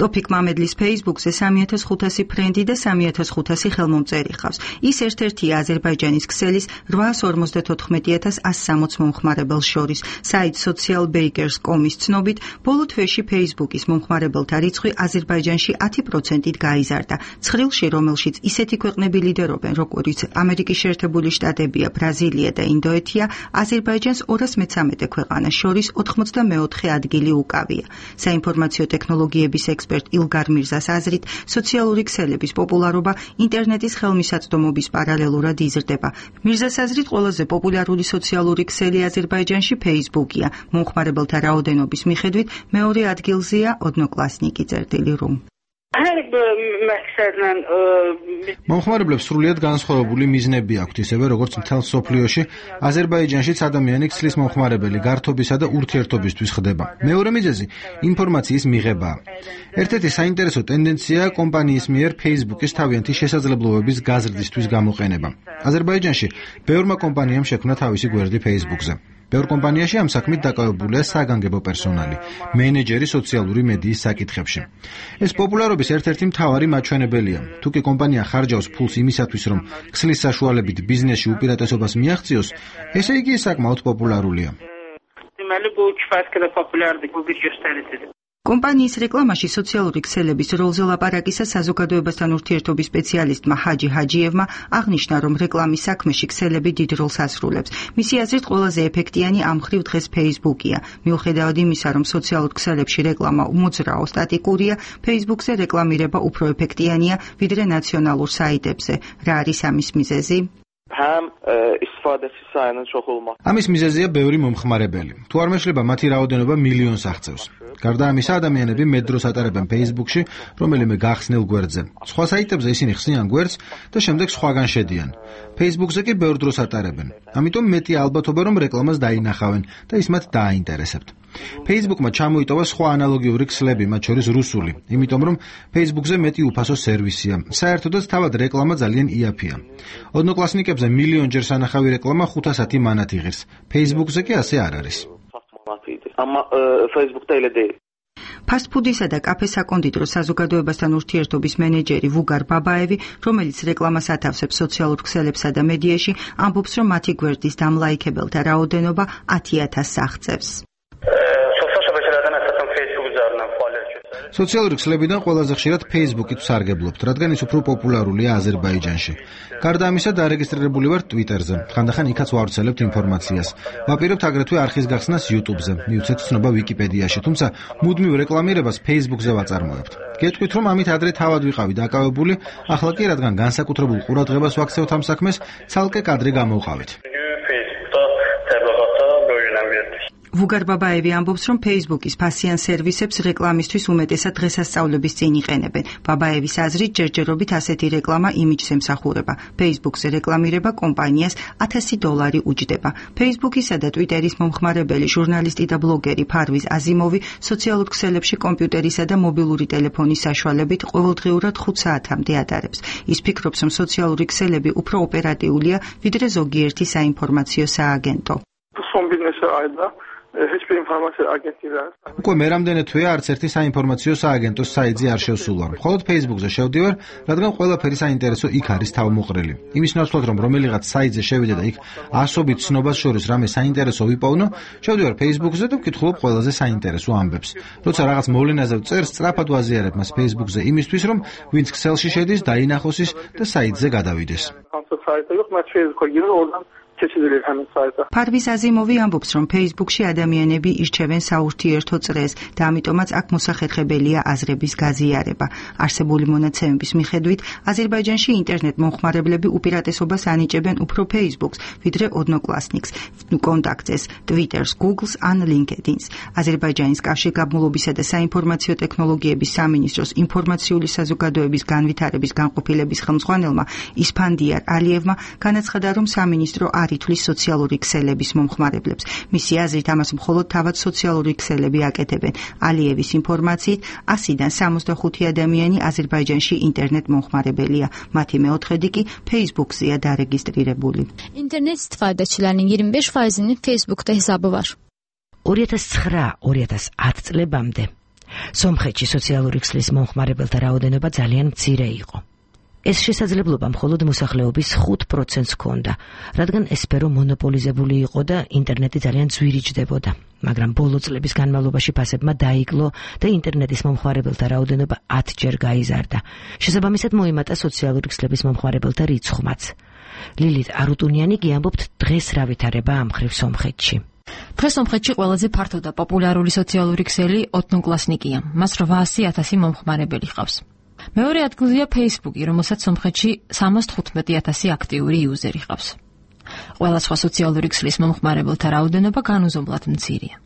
ტოფიკ მამედლის Facebook-ზე სამი ათას ხუთასი ფრენდი და სამი ათას ხუთასი ხელმომწერი ხავს. ის ერთ-ერთია აზერბაიჯანის ქსელის რვაას ორმოცდათოთხმეტი ათას ასი სამოც მომხმარებელს შორის. საიტ social bakers dot com-ის ცნობით, ბოლო თვეში Facebook-ის მომხმარებელთა რიცხვი აზერბაიჯანში ათი პროცენტით გაიზარდა. ცხრილში, რომელშიც ისეთი ქვეყნები ლიდერობენ, როგორც ამერიკის შეერთებული შტატებია, ბრაზილია და ინდოეთია, აზერბაიჯანს ორას მეთერთმეტე ქვეყანას შორის ოთხმოცდამეოთხე ადგილი უკავია. საინფორმაციო ტექნოლოგიების ექსპერტ ილგარ მირზას აზრით, სოციალური ქსელების პოპულარობა ინტერნეტის ხელმისაწვდომობის პარალელურად იზრდება. მირზას აზრით, ყველაზე პოპულარული სოციალური ქსელი აზერბაიჯანში Facebook-ია. მომხმარებელთა რაოდენობის მიხედვით მეორე ადგილზეა ოდნოკლასნიკი წერტილი რუ. მომხმარებლებს სრულიად განსხვავებული მიზნები აქვთ, ისევე როგორც მთელ სოფლიოში, აზერბაიჯანშიც ადამიანი ქსლის მომხმარებელი გართობისა და ურთიერთობისთვის ხდება. მეორე მიზეზი ინფორმაციის მიღებაა. ერთ-ერთი საინტერესო ტენდენციაა კომპანიის მიერ Facebook-ის თავიანთი შესაძლებლობების გაზრდისთვის გამოყენება. აზერბაიჯანში ბევრმა კომპანიამ შექმნა თავისი გვერდი Facebook-ზე. ბევრ კომპანიაში ამ საქმით დაკავებულია საგანგებო პერსონალი, მენეჯერი სოციალური მედიის საკითხებში. ეს პოპულარობის ერთ-ერთი მთავარი მაჩვენებელია. თუ კი კომპანია ხარჯავს ფულს იმისათვის, რომ ქსლის საშუალებით ბიზნესში უპირატესობას მიაღწიოს, ესე იგი საკმაოდ პოპულარულია. კომპანიის რეკლამაში სოციალური ქსელების როლზე ლაპარაკისა საზოგადოებასთან ურთიერთობის სპეციალისტმა ჰაჯი ჰაჯიევმა აღნიშნა, რომ რეკლამის საქმეში ქსელები დიდ როლს ასრულებს. მისი აზრით, ყველაზე ეფექტიანი ამ მხრივ დღეს Facebook-ია. მიუხედავად იმისა, რომ სოციალურ ქსელებში რეკლამა უმოძრაო სტატიკურია, Facebook-ზე რეკლამირება უფრო ეფექტიანია, ვიდრე ნაციონალურ საიტებზე. რა არის ამის მიზეზი? ამის მიზეზია ბევრი მომხმარებელი. თუ არ მეშლება მათი რაოდენობა მილიონს აღწევს. გარდა ამისა, ადამიანები მეტ დროს ატარებენ Facebook-ში, რომელიმე გახსნილ გვერდზე. სხვა საიტებზე ისინი ხსნიან გვერდს და შემდეგ სხვაგან შედიან. Facebook-ზე კი ბევრ დროს ატარებენ. ამიტომ მეტი ალბათობა, რომ რეკლამას დაინახავენ და ის მათ დააინტერესებთ. Facebook-მა ჩამოიტოვა სხვა ანალოგიური ქსლები, მათ შორის რუსული, იმიტომ რომ Facebook-ზე მეტი უფასო სერვისია. საერთოდაც თავად რეკლამა ძალიან იაფია. ოდნოკლასნიკებზე მილიონჯერ სანახავი რეკლამა ხუთასათი მანათ იღებს. Facebook-ზე კი ასე არ არის. ფასტფუდისა და კაფე საკონდიტრო საზოგადოებასთან ურთიერთობის მენეჯერი ვუგარ ბაბაევი, რომელიც რეკლამას ათავსებს სოციალურ ქსელებსა და მედიაში, ამბობს, რომ მათი გვერდის დამლაიქებელთა რაოდენობა ათი ათასს აღწევს. სოციალური ქსლებიდან ყველაზე ხშირად Facebook-ით ვსარგებლობთ, რადგან ის უფრო პოპულარულია აზერბაიჯანში. გარდა ამისა, დარეგისტრირებული ვარ Twitter-ზე. ხანდახან იქაც ვავრცელებთ ინფორმაციას. ვაპირებთ აგრეთვე არხის გახსნას YouTube-ზე, მივცეთ ცნობა Wikipedიაში, თუმცა მუდმივ რეკლამირებას Facebook-ზე ვაწარმოებთ. გეტყვით, რომ ამით ადრე თავად ვიყავი დაკავებული, ახლა კი რადგან განსაკუთრებულ ყურადღებას ვაქცევთ ამ საქმეს, ცალკე კადრი გამოვყავით. ვუგარ ბაბაევი ამბობს, რომ Facebook-ის ფასიან სერვისებს რეკლამისთვის უმეტესად დღესასწაულების წინ იყენებენ. ბაბაევის აზრით, ჯერჯერობით ასეთი რეკლამა იმიჯს ემსახურება. Facebook-ზე რეკლამირება კომპანიას ათასი დოლარი უჯდება. Facebook-ისა და Twitter-ის მომხმარებელი ჟურნალისტი და ბლოგერი ფარვიზ აზიმოვი სოციალურ ქსელებში კომპიუტერისა და მობილური ტელეფონის საშუალებით ყოველდღიურად ხუთ საათამდე ატარებს. ის ფიქრობს, რომ სოციალური ქსელები უფრო ოპერატიულია, ვიდრე ზოგიერთი საინფორმაციო სააგენტო. უკვე მე რამდენი თვეა არც ერთი საინფორმაციო სააგენტოს საიტზე არ შევსულვარ. მხოლოდ Facebook-ზე შევდივარ, რადგან ყველაფერი საინტერესო იქ არის თავმოყრილი. იმის ნაცვლად, რომ რომელიღაც საიტზე შევიდე და იქ ასობით ცნობას შორის რამე საინტერესო ვიპოვნო, შევდივარ Facebook-ზე და ვკითხულობ ყველაზე საინტერესო ამბებს. როცა რაღაც მოვლენაზე ვწერს, სწრაფად ვაზიარებ მას Facebook-ზე იმისთვის, რომ ვინც ქსელში შედის, დაინახოს ის და საიტზე გადავიდეს. ფარვის აზიმოვი ამბობს, რომ Facebook-ში ადამიანები ირჩევენ საურთიერთო წრეს და ამიტომაც აქ მოსახერხებელია აზრების გაზიარება. არსებული მონაცემების მიხედვით, აზერბაიჯანში ინტერნეტ მომხმარებლები უპირატესობას ანიჭებენ უფრო Facebook-ს, ვიდრე Odnoklassniks, კონტაქტს, Twitter-ს, Google-ს ან LinkedIn-ს. აზერბაიჯანის კავშირგაბმულობისა და საინფორმაციო ტექნოლოგიების სამინისტროს ინფორმაციული საზოგადოების განვითარების განყოფილების ხელმძღვანელმა ისფანდიარ ალიევმა განაცხადა, რომ სამინისტრო არ ითვლის სოციალური ქსელების მომხმარებლებს. მისი აზრით, ამას მხოლოდ თავად სოციალური ქსელები აკეთებენ. ალიევის ინფორმაციით, ასიდან სამოცდახუთი ადამიანი აზერბაიჯანში ინტერნეტ მომხმარებელია. მათი მეოთხედი კი Facebook-ზეა დარეგისტრირებული. Internet istifade edilenlerin iyirmi beş faizinin Facebook'ta hesabı var. ორი ათას ცხრა ორი ათას ათი წლებამდე სომხეთში სოციალური ქსელის მომხმარებელთა რაოდენობა ძალიან მცირე იყო. ეს შესაძლებლობა მხოლოდ მოსახლეობის ხუთ პროცენტს ჰქონდა, რადგან ეს სფერო მონოპოლიზებული იყო და ინტერნეტი ძალიან ძვირიჯდებოდა. მაგრამ ბოლო წლების განმავლობაში ფასებმა დაიკლო და ინტერნეტის მომხმარებელთა რაოდენობა ათჯერ გაიზარდა. შესაბამისად მოიმატა სოციალური ქსელების მომხმარებელთა რიცხვმაც. ლილით არუტუნიანი კი ამბობთ, დღეს რა ვითარება ამ მხრივ სომხეთში. დღეს სომხეთში ყველაზე ფართო და პოპულარული სოციალური ქსელი Odnoklassniki-ია. მას რვაასი ათასი მომხმარებელი ჰყავს. მეორე ადგილზეა Facebook-ი, რომელსაც სომხეთში სამას თხუთმეტი ათასი აქტიური იუზერი ჰყავს. ყველა სხვა სოციალური ქსელის მომხმარებელთა რაოდენობა განუზომლად მცირეა.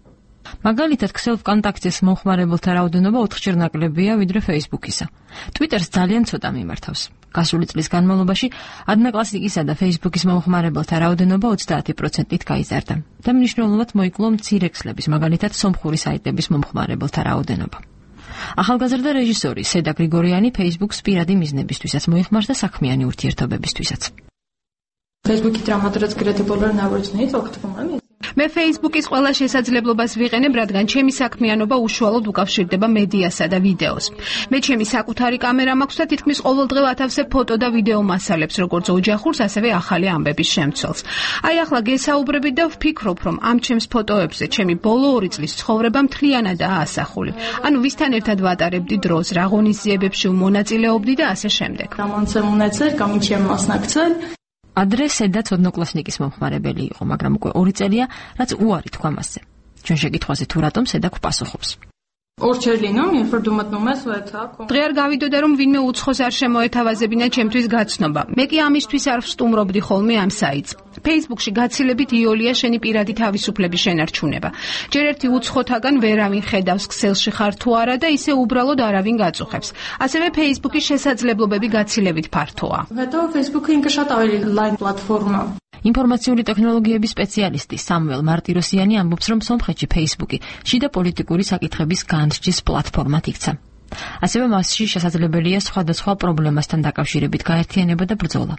მაგალითად, ქსელ VKontakte-ს მომხმარებელთა რაოდენობა ოთხჯერ ნაკლებია ვიდრე Facebook-ისა. Twitter-ს ძალიან ცოტა მიმართავს. გასული წლის განმავლობაში Odnoklassniki-სა და Facebook-ის მომხმარებელთა რაოდენობა ოცდაათი პროცენტით გაიზარდა და მნიშვნელოვნად მოიკლო მცირე ქსლების, მაგალითად, სომხური საიტების მომხმარებელთა რაოდენობა. ახალგაზრდა რეჟისორი სედა გრიგორიანი Facebook-ს პირადი მიზნებისთვისაც მოიხმარს და საქმიანი ურთიერთობებისთვისაც. Facebook-ით რამოდენად კრედიბოლურ ნაბრძნით ოქტომბერი მე Facebook-ის ყველა შესაძლებლობას ვიყენებ, რადგან ჩემი საქმიანობა უშუალოდ უკავშირდება მედიასა და ვიდეოს. მე ჩემი საკუთარი კამერა მაქვს და თითქმის ყოველდღე ვათავსებ ფოტო და ვიდეო მასალებს, როგორც ოჯახურს, ასევე ახალი ამბების შემცველს. აი ახლა გესაუბრებით და ვფიქრობ, რომ ამ ჩემს ფოტოებზე ჩემი ბოლო ორი წლის ცხოვრება მთლიანადაა ასახული. ანუ ვისთან ერთად ვატარებდი დროს, რა ღონისძიებებში ვმონაწილეობდი და ასე შემდეგ. გამონცემუნეცერ, გამიჩემასნაკცერ ადრე სედაც Odnoklassniki-ის მომხმარებელი იყო, მაგრამ უკვე ორი წელია, რაც უარი თქვა მასზე. ჩვენ შეკითხვაზე თუ რატომ სედა გვპასუხობს. დღე არ გავიდოდა, რომ ვინმე უცხოს არ შემოეთავაზებინა ჩემთვის გაცნობა. მე კი ამისთვის არ ვსტუმრობდი ხოლმე ამ საიტს. Facebook-ში გაცილებით იოლია შენი პირადი თავისუფლების შენარჩუნება. ჯერ ერთი უცხოთაგან ვერავინ ხედავს ქსელში ხარ თუ არა და ისე უბრალოდ არავინ გაწუხებს. ასევე Facebook-ის შესაძლებლობები გაცილებით ფართოა. ინფორმაციული ტექნოლოგიების სპეციალისტი სამუელ მარტიროსიანი ამბობს, რომ სომხეთში Facebook-ი შიდა პოლიტიკური საკითხების განსჯის პლატფორმად იქცა. ასევე მასში შესაძლებელია სხვადასხვა პრობლემასთან დაკავშირებით გაერთიანება და ბრძოლა.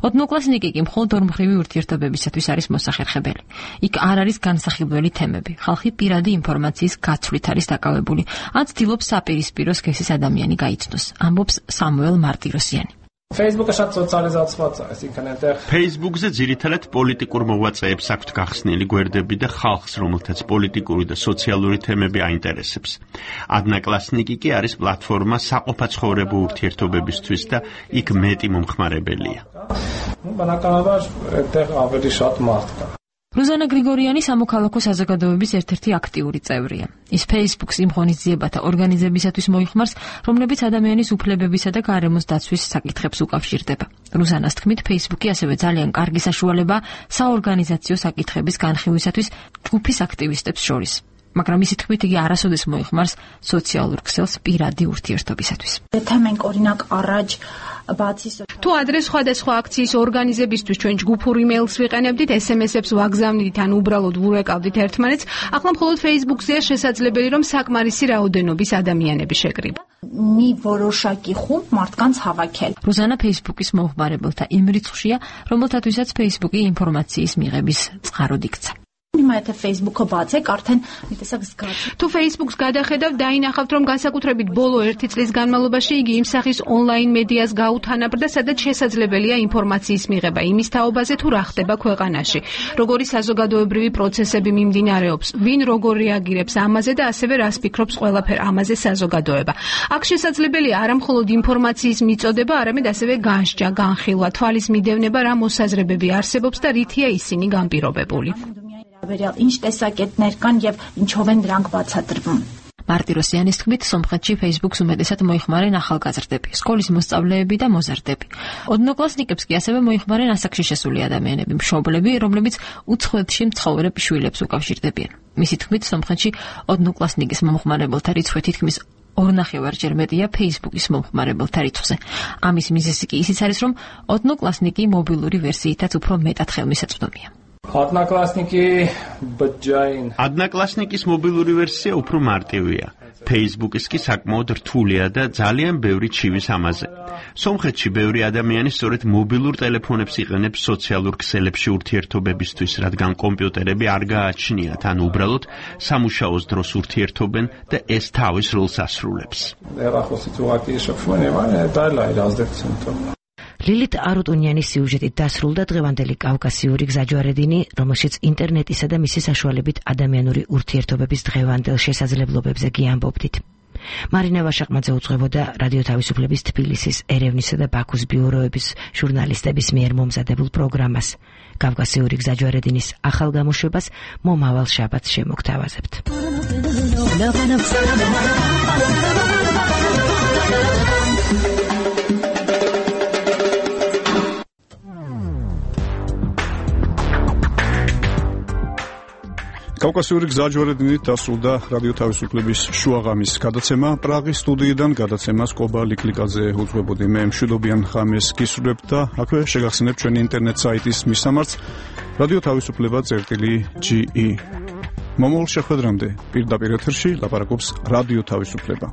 Odnoklassniki კი მხოლოდ ორმხრივი ურთიერთობებისათვის არის მოსახერხებელი. იქ არ არის განსახილველი თემები. ხალხი პირადი ინფორმაციის გაცვლით არის დაკავებული, ან ცდილობს საპირისპირო სქესის ადამიანი გაიცნოს, ამბობს სამუელ მარტიროსიანი. Facebook-აშაც სოციალიზაცია ეს ინტერნეტი. Facebook-ზე ძირითადად პოლიტიკურ მოღვაწეებს აქვთ გახსნილი გვერდები და ხალხს, რომელთაც პოლიტიკური და სოციალური თემები აინტერესებს. Odnoklassniki კი არის პლატფორმა საყოფაცხოვრებო ურთიერთობებისთვის და იქ მეტი მომხმარებელია. რუზანა გრიგორიანი სამოქალაქო საზოგადოების ერთ-ერთი აქტიური წევრია. ის Facebook-ს იმ ღონისძიებათა ორგანიზებისათვის მოიხმარს, რომლებიც ადამიანის უფლებებისა და გარემოს დაცვის საკითხებს უკავშირდება. რუზანას თქმით, Facebook-ი ასევე ძალიან კარგი საშუალებაა საორგანიზაციო საკითხების განხილვისათვის ჯგუფის აქტივისტებს შორის. მაგრამ ისიც თქმით, იგი არასოდეს მოიხმარს სოციალურ ქსელს პირადი ურთიერთობისათვის. თუ ადრე სხვადასხვა აქციის ორგანიზებისთვის ჩვენ ჯგუფურ იმეილს ვიყენებდით, ეს ემ ესებს ვაგზავნიდით ან უბრალოდ ვურეკავდით ერთმანეთს, ახლა მხოლოდ Facebook-ზეა შესაძლებელი, რომ საკმარისი რაოდენობის ადამიანები შეკრიბა. რუზანა Facebook-ის მომხმარებელთა იმ რიცხვშია, რომელთათვისაც Facebook-ი ინფორმაციის მიღების წყაროდ იქცა. მაეთე Facebook-ო ბაცე, კართენ მიტესაკს გა. თუ Facebook-ს გადახედავ, დაინახავთ, რომ განსაკუთრებით ბოლო ერთი წლის განმავლობაში იგი იმ სახის ონლაინ მედიას გაუთანაბრდა, სადაც შესაძლებელია ინფორმაციის მიღება იმის თაობაზე, თუ რა ხდება ქვეყანაში, როგორი საზოგადოებრივი პროცესები მიმდინარეობს, ვინ როგორ რეაგირებს ამაზე და ასევე რას ფიქრობს ყველაფერ ამაზე საზოგადოება. აქ შესაძლებელია არა მხოლოდ ინფორმაციის მიწოდება, არამედ ასევე განსჯა, განხილვა, თვალის მიდევნება, რა მოსაზრებები არსებობს და რითია ისინი განპირობებული. ինչ տեսակետներ կան եւ ինչով են դրանք բացատրվում. მარტიროსიანის თქმით, სომხეთში Facebook-ს უმეტესად მოიხმარენ ახალგაზრდები, სკოლის მოსწავლეები და მოზარდები. ოდნოკლასნიკებს კი ასევე მოიხმარენ ასაკში შესული ადამიანები, მშობლები, რომლებიც უცხოეთში მცხოვრებ შვილებს უკავშირდებიან. მისი თქმით, სომხეთში ოდნოკლასნიკის მომხმარებელთა რიცხვი თითქმის ორნახევარჯერ მეტია Facebook-ის მომხმარებელთა რიცხვზე. ამის მიზეზი კი ისიც არის, რომ ოდნოკლასნიკი მობილური ვერსიითაც უფრო მეტად ხელმისაწვდომია. Adnaklassnikis მობილური ვერსია უფრო მარტივია. Facebook-ის კი საკმაოდ რთულია და ძალიან ბევრი ჩივის ამაზე. სომხეთში ბევრი ადამიანი სწორედ მობილურ ტელეფონებს იყენებს სოციალურ ქსელებში ურთიერთობებისთვის, რადგან კომპიუტერები არ გააჩნიათ, ან უბრალოდ სამუშაოს დროს ურთიერთობენ და ეს თავის როლს ასრულებს. ლილით არუტუნიანის სიუჟეტით დასრულდა დღევანდელი კავკასიური გზაჯვარედინი, რომელშიც ინტერნეტისა და მისი საშუალებით ადამიანური ურთიერთობების დღევანდელ შესაძლებლობებზე გიამბობდით. მარინა ვაშაყმაძე უძღვებოდა რადიო თავისუფლების თბილისის, ერევნისა და ბაქოს ბიუროების ჟურნალისტების მიერ მომზადებულ პროგრამას. კავკასიური გზაჯვარედინის ახალ გამოშვებას მომავალ შაბათს შემოგთავაზებთ. კავკასიური გზაჯვარედინით დასრულდა რადიო თავისუფლების შუაღამის გადაცემა. პრაღის სტუდიიდან გადაცემას კობა ლიკლიკაძე უძღვებოდი. მე მშვიდობიან ღამეს გისურვებთ და აქვე შეგახსენებთ ჩვენი ინტერნეტ საიტის მისამართს რადიო თავისუფლება წერტილი ჯი ი. მომავალ შეხვედრამდე პირდაპირ ეთერში ლაპარაკობს რადიო თავისუფლება.